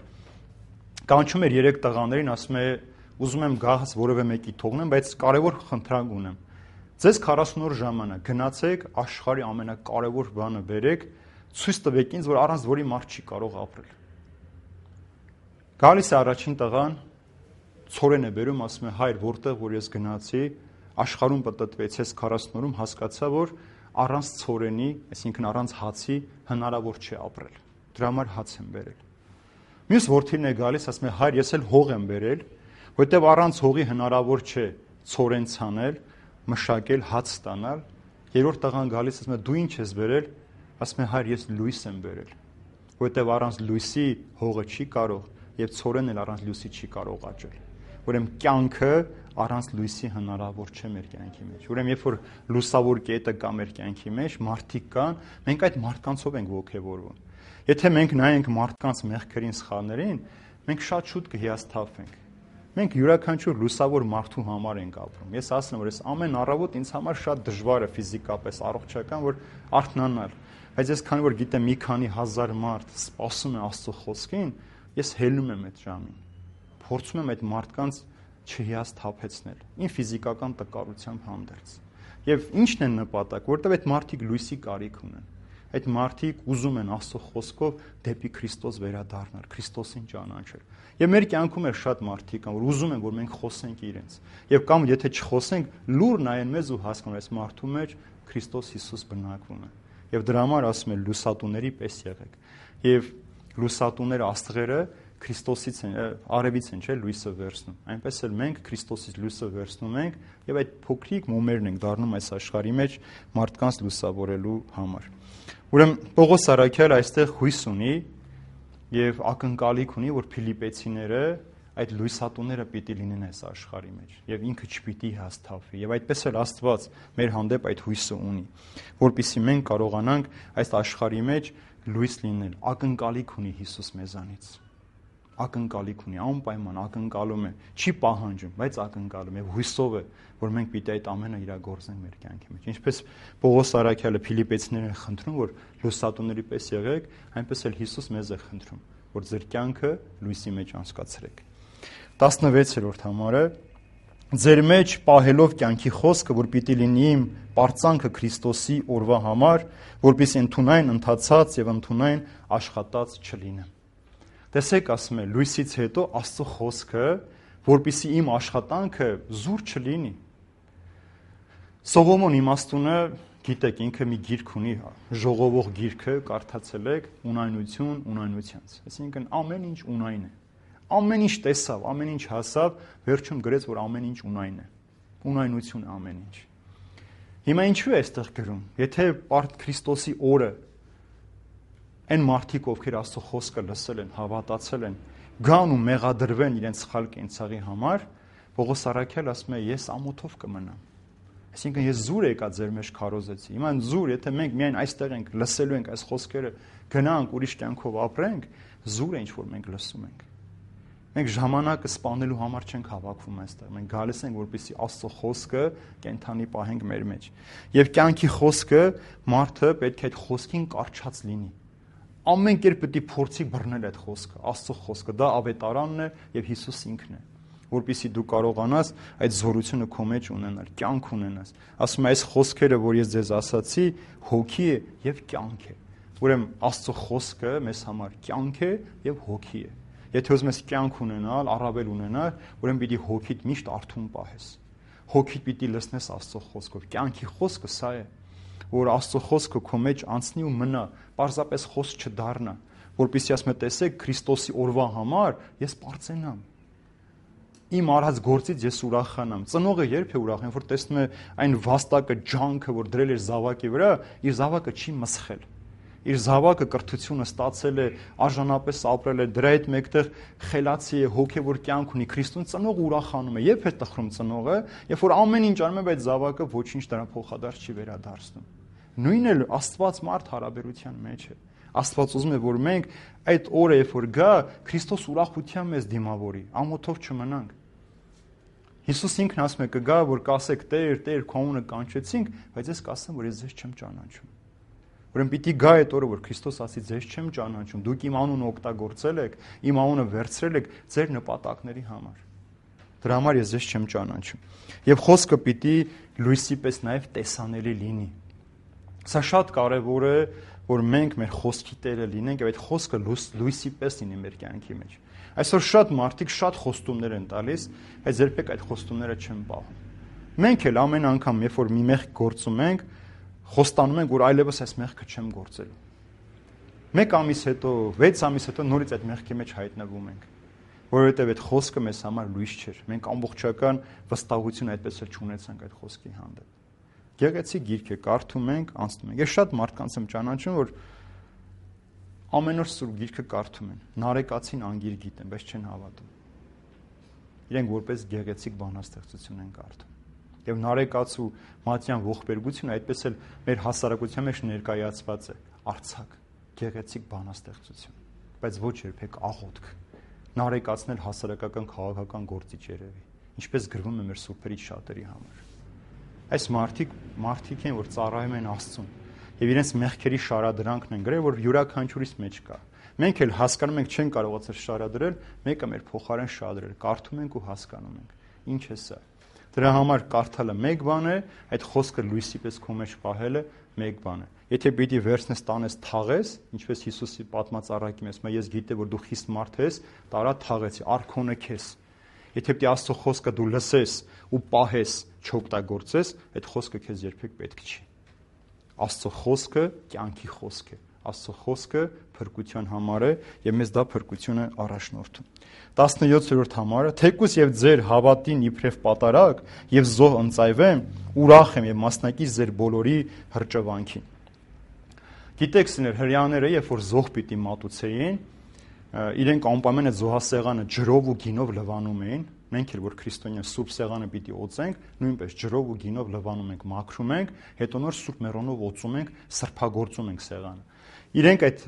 կանչում էր երեք տղաներին, ասում է, ուզում եմ գահս որևէ մեկի թողնեմ, բայց կարևոր խնդրանք ունեմ։ Ձեզ քառասուն օր ժամանակ գնացեք աշխարհի ամենակարևոր բանը բերեք, ցույց տվեք ինձ, որ առանց որի մարդ չի կարող ապրել։ Գալիս է առաջին տղան, ցորեն է բերում, ասում է, հայր, որտեղ որ ես գնացի, աշխարհում պատտվեցի, ես քառասուն օրում հասկացա, որ առանց ցորենի, այսինքն առանց հացի հնարավոր չէ ապրել։ Դրա համար հաց եմ բերել։ Մյուս որդին է գալիս, ասում է, հայր, ես էլ հող եմ բերել, որտեղ առանց հողի հնարավոր չէ ցորեն ցանել, մշակել, հաց ստանալ։ Երրորդ տղան գալիս, ասում է, դու ինչ ես բերել, ասում է, հայր, ես լույս եմ բերել, որտեղ առանց լույսի հողը չի կարող եւ ցորենն էլ առանց լույսի չի կարող աճել։ Ուրեմն կյանքը առանց լույսի հնարավոր չէ մեր կյանքի մեջ։ Ուրեմն երբ որ լուսավոր կետը կա մեր կյանքի մեջ, մարդիկ կան, մենք այդ մարդկանցով ենք ողջևորվում։ Եթե մենք նայենք մարդկանց մեղքերին, սխալներին, մենք շատ շուտ կհիասթափվենք։ Մենք յուրաքանչյուր լուսավոր մարդու համար ենք ապրում։ Ես ասում եմ, որ ես ամեն առավոտ ինձ համար շատ դժվար է ֆիզիկապես, առողջական, որ արթնանալ։ Բայց ես քանի որ գիտեմ մի քանի հազար մարդ սպասում է Աստծո խոսքին, ես հելնում եմ այդ ժամին։ Փորձում եմ այդ մարդկանց չհիասթափեցնել, իմ ֆիզիկական տկարությամբ հանդերձ։ Եվ ի՞նչն է նպատակ, որտեղ այդ մարդիկ լույսի կարիք ունեն։ Այդ մարդիկ ուզում են Աստծո խոսքով դեպի Քրիստոս վերադառնալ, Քրիստոսին ճանաչել։ Եվ մեր կյանքում էլ շատ մարդիկ կան, որ ուզում են, որ մենք խոսենք իրենց։ Եվ կամ եթե չխոսենք, լուր նայեն մեզ ու հասկանան, այս մարդու մեջ Քրիստոս Հիսուս բնակվում է։ Եվ դրա համար ասում են լուսատուների պես եղեք։ Եվ լուսատուները աստղերը Քրիստոսից են, արևից են, չէ՞, լույսը վերցնում։ Այնպես էլ մենք Քրիստոսից լույսը վերցնում ենք եւ այդ փոքրիկ մոմերն ենք դառնում այս աշխարհի մեջ մարդկանց լուսավորելու համար։ Ուրեմն Պողոս Արաքյալը այստեղ հույս ունի եւ ակնկալիք ունի, որ Փիլիպեցիները այդ լույսատուները պիտի լինեն այս աշխարհի մեջ եւ ինքը չպիտի հաստատվի եւ այդպես էլ Աստված մեր հանդեպ այդ հույսը ունի, որpիսի մենք կարողանանք այս աշխարհի մեջ լույս լինել։ Ակնկալիք ունի Հիսուս մեզանից։ Ակնկալիք ունի, անպայման ակնկալում է, չի պահանջում, բայց ակնկալում է, հույսով է, որ մենք պիտի այդ ամենը իրագործենք մեր կյանքի մեջ։ Ինչպես Պողոս Արաքյալը Փիլիպեցիներին խնդրում, որ լուսատուների պես եղեք, այնպես էլ Հիսուս մեզ է խնդրում, որ ձեր կյանքը լույսի մեջ անցկացրեք։ տասնվեցերորդ համարը ձեր մեջ պահելով կյանքի խոսքը, որ պիտի լինի իմ պարծանքը Քրիստոսի օրվա համար, որպեսզի ընդունայն ընթացած եւ ընդունայն աշխատած չլինեմ։ Տեսեք, ասում է, լույսից հետո Աստծո խոսքը, որպեսզի իմ աշխատանքը զուր չլինի։ Սողոմոն իմաստունը, գիտեք, ինքը մի գիրք ունի, ժողովող գիրքը, կարդացել եք, ունայնություն ունայնությանց։ Այսինքն ամեն ինչ ունայն է։ Ամեն ինչ տեսավ, ամեն ինչ հասավ, վերջում գրեց, որ ամեն ինչ ունայն է։ Ունայնություն է ամեն ինչ։ Հիմա ինչու է այստեղ գրում։ Եթե Պարտ Քրիստոսի օրը այն մարդիկ, ովքեր Աստծո խոսքը լսել են, հավատացել են, գան ու մեղադրվեն իրենց սխալ կենցաղի համար, Պողոս Արաքյալը ասում է, ես ամոթով կմնամ։ Այսինքն ես զուր եկա ձեր մեջ քարոզեցի։ Հիմա զուր, եթե մենք միայն այստեղ ենք, լսելու ենք այս խոսքերը, գնանք ուրիշ կյանքով ապրենք, զուր է ինչ որ մենք լսում ենք։ Մենք ժամանակը սպանելու համար չենք հավաքվում այստեղ։ Մենք գալիս ենք, որպեսզի Աստծո խոսքը կենթանի պահենք մեր մեջ։ Եվ կյանքի խոսքը մարդը պետք է այդ խոսքին կարճած լինի։ Ամեն կերպ պետք է փորձի բռնել այդ խոսքը, Աստծո խոսքը, դա ավետարանն է եւ Հիսուս ինքն է, որպեսզի դու կարողանաս այդ զորությունը քո մեջ ունենալ, կյանք ունենաս։ Ասում է, այս խոսքերը, որ ես ձեզ ասացի, հոգի է եւ կյանք է։ Ուրեմն Աստծո խոսքը մեզ համար կյանք է եւ հոգի է։ Եթե ուզում ես կյանք ունենալ, առավել ունենալ, ուրեմն պիտի հոգիդ միշտ արթուն պահես։ Հոգիդ պիտի լսնես Աստծո խոսքով։ Կյանքի խոսքը սա է, որ Աստծո խոսքը քո մեջ անցնի ու մնա, պարզապես խոսք չդառնա, որպեսզի ասում է, տեսեք, Քրիստոսի օրվա համար ես պարծենամ։ Իմ արած գործից ես ուրախանամ։ Ծնողը երբ է ուրախ, որ տեսնում է այն վաստակը, ջանքը, որ դրել էր զավակի վրա, իր զավակը չի մսխել։ Իր զավակը կրթությունը ստացել է, արժանապես ապրել է, դրա հետ մեկտեղ խելացի է, հոգևոր կյանք ունի, Քրիստոս ծնողը ուրախանում է, երբ է տխրում ծնողը, երբ որ ամեն ինչ անում է, բայց զավակը ոչինչ դրա փոխադարձ չի վերադարձնում։ Նույնն էլ Աստված մարդ հարաբերության մեջ է։ Աստված ուզում է, որ մենք այդ օրը, երբ որ գա, Քրիստոս ուրախությամբ մեզ դիմավորի, ամոթով չմնանք։ Հիսուս ինքն ասում է, կգա, որ կասեք, Տեր, Տեր, քո անունը կանչեցինք, բայց ես կասեմ, որ ես ձեզ չեմ ճանաչում։ Ուրեմն պիտի գա այդ օրը, որ Քրիստոս ասի, ձեզ չեմ ճանաչում, դուք իմ անունը օգտագործել եք, իմ անունը վերցրել եք ձեր նպատակների համար։ Դրա համար ես ձեզ չեմ ճանաչում։ Եվ խոսքը պիտի լույսի պես նաև տեսանելի լինի։ Սա շատ կարևոր է, որ մենք մեր խոսքի տերը լինենք եւ այդ խոսքը լույսի պես լինի մեր կյանքի մեջ։ Այսօր շատ մարդիկ շատ խոստումներ են տալիս, բայց երբեք այդ խոստումները չեն պահում։ Մենք էլ ամեն անգամ, երբ որ մի մեղք գործում ենք, խոստանում ենք, որ այլևս այս մեղքը չեմ գործելու։ Մեկ ամիս հետո, վեց ամիս հետո նորից այդ մեղքի մեջ հայտնվում ենք, որովհետև այդ խոսքը մեզ համար լույս չէր։ Մենք ամբողջական վստահություն այդպես էլ չունեցանք այդ խոսքի հանդեպ։ Գեղեցիկ գիրք է, կարդում ենք, անցնում ենք։ Ես շատ մարդկանց եմ ճանաչում, որ ամեն օր սուրբ գիրքը կարդում են, նարեկացին անգիր գիտեն, բայց չեն հավատում։ Իրենք որպես գեղեցիկ բանաստեղծություն են կարդում։ Եվ նարեկացու մատյան ողբերգությունը այդպես էլ մեր հասարակության մեջ ներկայացված է, արձակ, գեղեցիկ բանաստեղծություն, բայց ոչ երբեք աղոթք։ Նարեկացն էլ հասարակական քաղաքական գործիչ երևի, ինչպես գրվում է մեր սուրբերի շատերի համար։ Այս մարդիկ մարդիկ են, որ ծառայում են Աստծուն, եւ իրենց մեղքերի շարադրանքն են գրել, որ յուրաքանչյուրիս մեջ կա։ Մենք էլ հասկանում ենք, չեն կարողացել շարադրել, մեկը մեր փոխարեն շարադրել, կարդում ենք ու հասկանում ենք։ Ինչ է սա։ Դրա համար կարդալը մեկ բան է, այդ խոսքը լույսի պես քո մեջ պահելը մեկ բան է։ Եթե պիտի վերցնես տանես թաղես, ինչպես Հիսուսի պատմած առակի մեջ, ես գիտեմ, որ դու խիստ մարդ ես, տարա թաղեցի, արքոնը քեզ։ Եթե պիտի Աստծո խոսքը դու լսես ու պահես, չօգտագործես, այդ խոսքը քեզ երբեք պետք չի։ Աստծո խոսքը կյանքի խոսք է։ Աստծո խոսքը փրկության համար է եւ մեզ դա փրկությունը առաջնորդում։ տասնյոթերորդ համարը թեկուս եւ ձեր հավատին իբրև պատարակ եւ զոհ ընծայվեմ, ուրախ եմ եւ մասնակից ձեր բոլորի հրճվանքին։ Գիտեք, սներ հрьяաները, երբ որ զոհ պիտի մատուցեին, իրենք անպայման այդ զոհասեղանը ջրով ու գինով լվանում էին։ Մենք էլ որ քրիստոնյա սուրբ սեղանը պիտի օծենք, նույնպես ջրով ու գինով լվանում ենք, մաքրում ենք, հետո նոր սուրբ մեռոնով օծում ենք, սրբագործում ենք սեղանը։ Իրենք այդ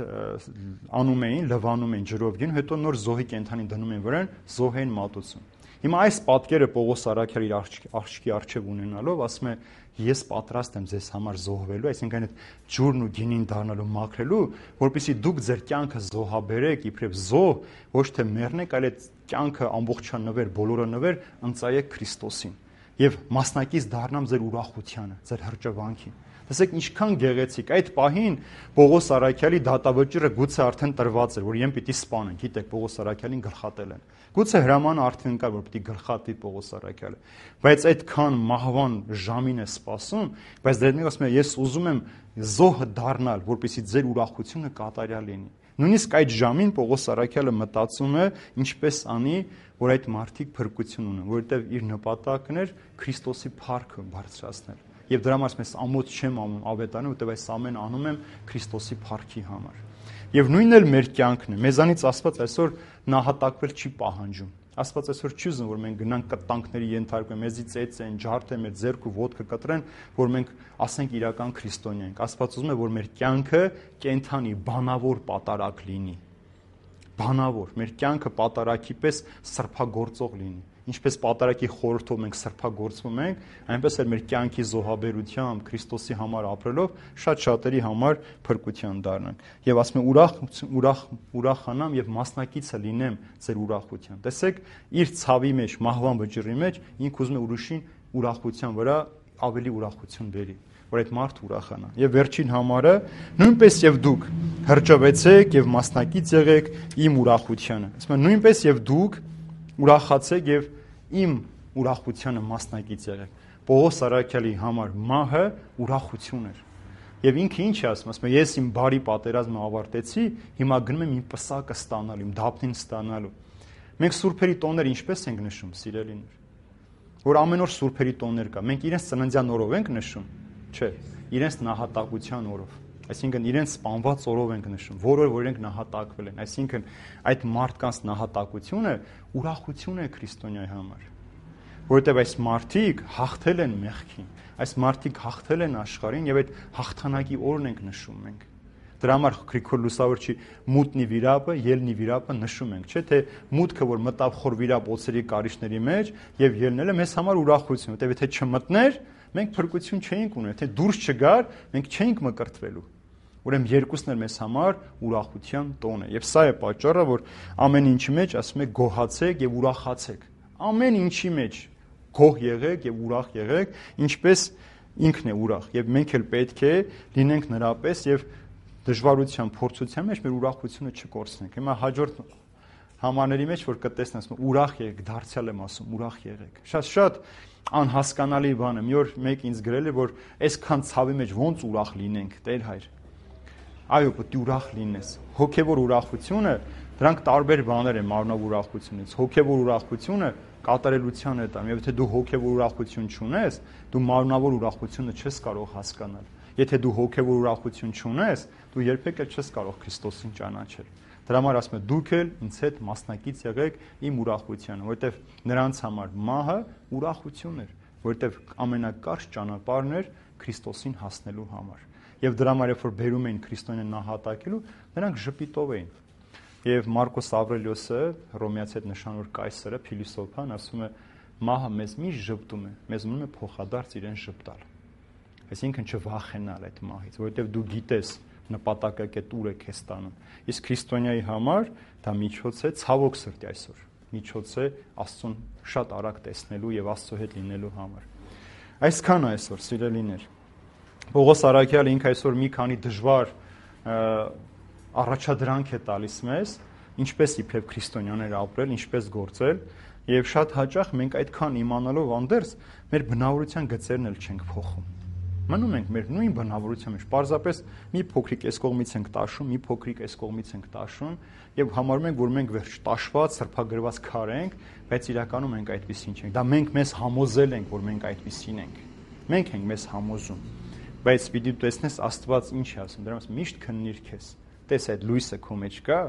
անում էին, լվանում էին ջրով գին, հետո նոր զոհի կենթանին դնում են վրան, զոհ են մատուցում։ Հիմա այս պատկերը Պողոս առաքյալը իր աղջիկի առջև ունենալով ասում է ես պատրաստ եմ ձեզ համար զոհվելու, այսինքն այդ ջուրն ու գինին դառնալու մաքրելու, որպեսզի դուք ձեր կյանքը զոհաբերեք, իբրև զոհ, ոչ թե մեռնեք, այլ այդ կյանքը ամբողջանվեր, բոլորը նվեր ընծայեք Քրիստոսին եւ մասնակից դառնամ ձեր ուրախությանը, ձեր հրճվանքին։ Տեսեք ինչքան գեղեցիկ այդ պահին Պողոս առաքյալի դատավճիռը գուցե արդեն տրված էր, որ իրեն պիտի սպանեն, գիտեք Պողոս առաքյալին գլխատել են։ Գուցե հրամանը արդեն կար, որ պիտի գլխատի Պողոս առաքյալը, բայց այդքան մահվան ժամին է սպասում, բայց դեռ մեկ ասում է ես ուզում եմ զոհը դառնալ, որպեսզի ձեր ուրախությունը կատարյալ լինի։ Նույնիսկ այդ ժամին Պողոս առաքյալը մտածում է ինչպես անի, որ այդ մարդիկ փրկություն ունեն, որովհետև իր նպատակն էր Քրիստոսի փառքը բարձրացնել։ Եվ դրա համար ես ամոթ չեմ անում ավետարանը, որտեղ այս ամեն անում եմ Քրիստոսի փառքի համար։ Եվ նույնն էլ մեր կյանքն է։ Մեզանից Աստված այսօր նահատակվել չի պահանջում։ Աստված այսօր չի ուզում, որ մենք գնանք կտանքների ենթարկվենք, մեզի ծեծեն, ջարդեն, մեր ձեռք ու ոտքը կտրեն, որ մենք ասենք իրական քրիստոնյա ենք։ Աստված ուզում է, որ մեր կյանքը կենթանի, բանավոր պատարակ լինի։ Բանավոր, մեր կյանքը պատարակի պես սրբագործող լինի։ Ինչպես պատարակի խորհրդով մենք սրբագործվում ենք, այնպես էլ մեր կյանքի զոհաբերությամբ Քրիստոսի համար ապրելով շատ շատերի համար փրկության դառնանք։ Եվ ասում եմ ուրախ ուրախ ուրախանամ եւ մասնակիցը լինեմ ձեր ուրախության։ Տեսեք, իր ցավի մեջ, մահվան վճռի մեջ ինք ուզում է ուրիշին ուրախության վրա ավելի ուրախություն բերի, որ այդ մարդը ուրախանա։ Եվ վերջին համարը նույնպես եւ դուք հրճվեցեք եւ մասնակից եղեք իմ ուրախությանը։ Ասում եմ նույնպես եւ դուք ուրախացեք եւ իմ ուրախությանը մասնակից եղեք։ Պողոս առաքյալի համար մահը ուրախություն էր։ Եվ ինքը ինչ է ասում, ասում է ես իմ բարի պատերազմը ավարտեցի, հիմա գնում եմ իմ պսակը ստանալու, իմ դափնին ստանալու։ Մենք սուրբերի տոներ ինչպես ենք նշում, սիրելիներ, որ ամեն օր սուրբերի տոներ կա։ Մենք իրենց ծննդյան օրով ենք նշում, չէ, իրենց նահատակության օրով։ Այսինքն իրենց սպանված օրով ենք նշում, որ որ իրենք նահատակվել են։ Այսինքն այդ մարդկանց նահատակությունը ուրախություն է քրիստոնյայի համար, որովհետև այս մարդիկ հաղթել են մեղքին, այս մարդիկ հաղթել են աշխարհին եւ այդ հաղթանակի օրն ենք նշում մենք։ Դրա համար Գրիգոր Լուսավորչի մուտնի վիրապը, ելնի վիրապը նշում ենք, չէ՞ թե մուտքը, որ մտավ խոր վիրապ օծերի կարիճների մեջ եւ ելնելը մեզ համար ուրախություն, որովհետև եթե չմտներ, մենք փրկություն չէինք ունենա, թե դուրս չգար, մենք չէինք մկրտվելու։ Ուրեմն երկուսն էլ մեզ համար ուրախության տոն է։ Եվ սա է պատճառը, որ ամեն ինչի մեջ ասում է գոհացեք եւ ուրախացեք։ Ամեն ինչի մեջ գոհ եղեք եւ ուրախ եղեք, ինչպես ինքն է ուրախ։ Եվ մենք էլ պետք է լինենք նրա պես եւ դժվարության, փորձության մեջ մեր ուրախությունը չկորցնենք։ Հիմա հաջորդ համաների մեջ որ կտեսնես, ուրախ եղեք, դարձյալ եմ ասում, ուրախ եղեք։ Շատ-շատ անհասկանալի բան է։ Մի օր մեկ ինձ գրել է, որ այսքան ցավի մեջ ոնց ուրախ լինենք, Տեր հայր։ Այո, պետք է ուրախ լինես։ Հոգևոր ուրախությունը, դրանք տարբեր բաներ են մարմնավոր ուրախությունից։ Հոգևոր ուրախությունը կատարելության է տամ, եւ եթե դու հոգևոր ուրախություն չունես, դու մարմնավոր ուրախությունը չես կարող հասկանալ։ Եթե դու հոգևոր ուրախություն չունես, դու երբեք էլ չես կարող Քրիստոսին ճանաչել։ Դրա համար ասում է դուք էլ ինձ հետ մասնակից եղեք իմ ուրախությանը, որովհետև նրանց համար մահը ուրախություն էր, որովհետև ամենակարճ ճանապարհն էր Քրիստոսին հասնելու համար։ Եվ դրա համար երբ որ բերում էին քրիստոնեն նահատակելու, նրանք ժպիտով էին։ Եվ Մարկոս Ավրելիոսը, Հռոմեացի հետ նշանավոր կայսրը, փիլիսոփան, ասում է մահը մեզ միշտ ժպտում է, մեզ ունում է փոխադարձ իրեն ժպտալ։ Այսինքն չվախենալ այդ մահից, որովհետև դու գիտես նպատակակետ ուր է քեզ տանում։ Իսկ քրիստոնյայի համար դա միջոց է ցավոք սրտի այսօր։ միջոց է Աստծուն շատ արագ տեսնելու եւ Աստծո հետ լինելու համար։ Այսքան այսօր, սիրելիներ։ Պողոս առաքյալը ինքը այսօր մի քանի դժվար առաջադրանք է տալիս մեզ, ինչպես իբրև քրիստոնյաներ ապրել, ինչպես գործել, եւ շատ հաճախ մենք այդքան իմանալով անդերս մեր բնավորության գծերն էլ չենք փոխում։ Մնում ենք մեր նույն բնավորության մեջ, պարզապես մի փոքրիկ այս կողմից ենք տաշում, մի փոքրիկ այս կողմից ենք տաշում եւ համարում ենք, որ մենք վերջ տաշված, սրբագրված քար ենք, բայց իրականում մենք այդպեսին չենք։ Դա մենք մեզ համոզել ենք, որ մենք այդպեսին ենք։ Մենք ենք մեզ համոզում։ Բայց պիտի տեսնես Աստված ինչ է ասում, դրանց միշտ քննիր քեզ։ Տես այդ լույսը քո մեջ կա,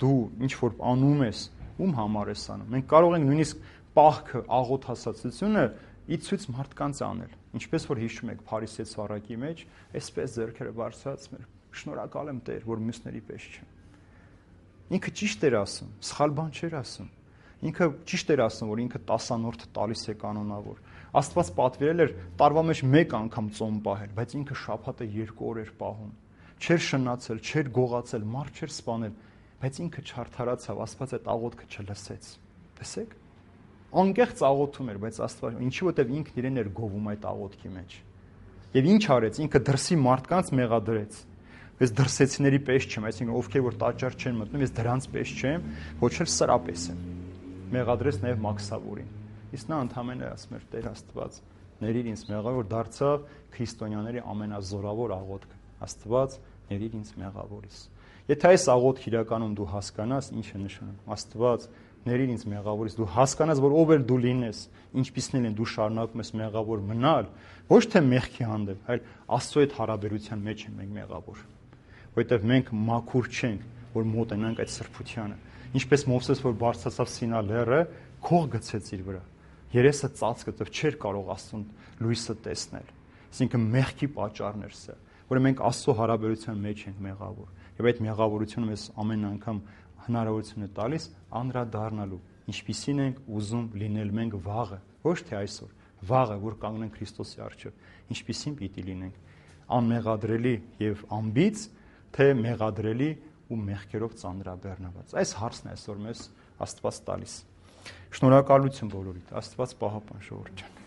դու ինչ որ անում ես, ում համար ես անում։ Մենք կարող ենք նույնիսկ պահքը, աղոթասացությունը ի ցույց մարդկանց անել։ Ինչպես որ հիշում եք Փարիսեցու առակի մեջ, այսպես ձեռքերը բարձրացնել։ Շնորհակալ եմ Տեր, որ մյուսների պես չեմ։ Ինքը ճիշտ էր ասում, սխալ բան չէր ասում։ Ինքը ճիշտ էր ասում, որ ինքը տասանորդը տալիս է կանոնավոր։ Աստված պատվիրել էր տարվա մեջ մեկ անգամ ծոմ պահել, բայց ինքը շաբաթը երկու օր էր պահում։ Չէր շնացել, չէր գողացել, մարդ չէր սպանել, բայց ինքը չարթարացավ, Աստված այդ աղոթքը չլսեց։ Տեսեք։ Անկեղծ աղոթում էր, բայց Աստված, ինչի որտեվ ինքն իրեն էր գովում այդ աղոթքի մեջ։ Եվ ինչ արեց, ինքը դրսի մարդկանց մեղադրեց։ Ես դրսեցիների պես չեմ, այսինքն ովքեր որ տաճար չեն մտնում, ես դրանց պես չեմ, ոչ էլ սրա պես եմ։ Մեղադրեց նաև Մաքսավորին։ Իսկ նա ընդհանրապես ասում էր Տեր Աստված, ներիր ինձ մեղավոր, որ դարձավ քրիստոնյաների ամենազորավոր աղոթքը։ Աստված, ներիր ինձ մեղավորից։ Եթե այս աղոթքը իրականում դու հասկանաս, ինչ է նշանակում, Աստված, ներիր ինձ մեղավորից, դու հասկանաս, որ ով էլ դու լինես, ինչպիսին են դու շարունակում ես մեղավոր մնալ, ոչ թե մեղքի հանդեպ, այլ Աստծո հետ հարաբերության մեջ ենք մենք մեղավոր, որովհետև մենք մաքուր չենք, որ մոտենանք այդ սրբությանը։ Ինչպես Մովսես, որ բարձրացավ Սինա լեռը, քող գցեց իր վրա, երեսը ծածկեց, չէր կարող Աստծուն լույսը տեսնել։ Այսինքն մեղքի պատճառն էր սա, որ մենք Աստծո հարաբերության մեջ ենք մեղավոր, եւ այդ մեղավորությունը մեզ ամեն անգամ հնարավորություն է տալիս անդրադառնալու, ինչպիսին ենք ուզում լինել մենք վաղը, ոչ թե այսօր, վաղը, որ կանգնենք Քրիստոսի առջև, ինչպիսին պիտի լինենք, անմեղադրելի եւ անբիծ, թե մեղադրելի ու մեղքերով ծանրաբեռնված։ Այս հարցն է այսօր մեզ Աստված տալիս։ Շնորհակալություն բոլորիդ, Աստված պահապան ժողովուրդ ջան։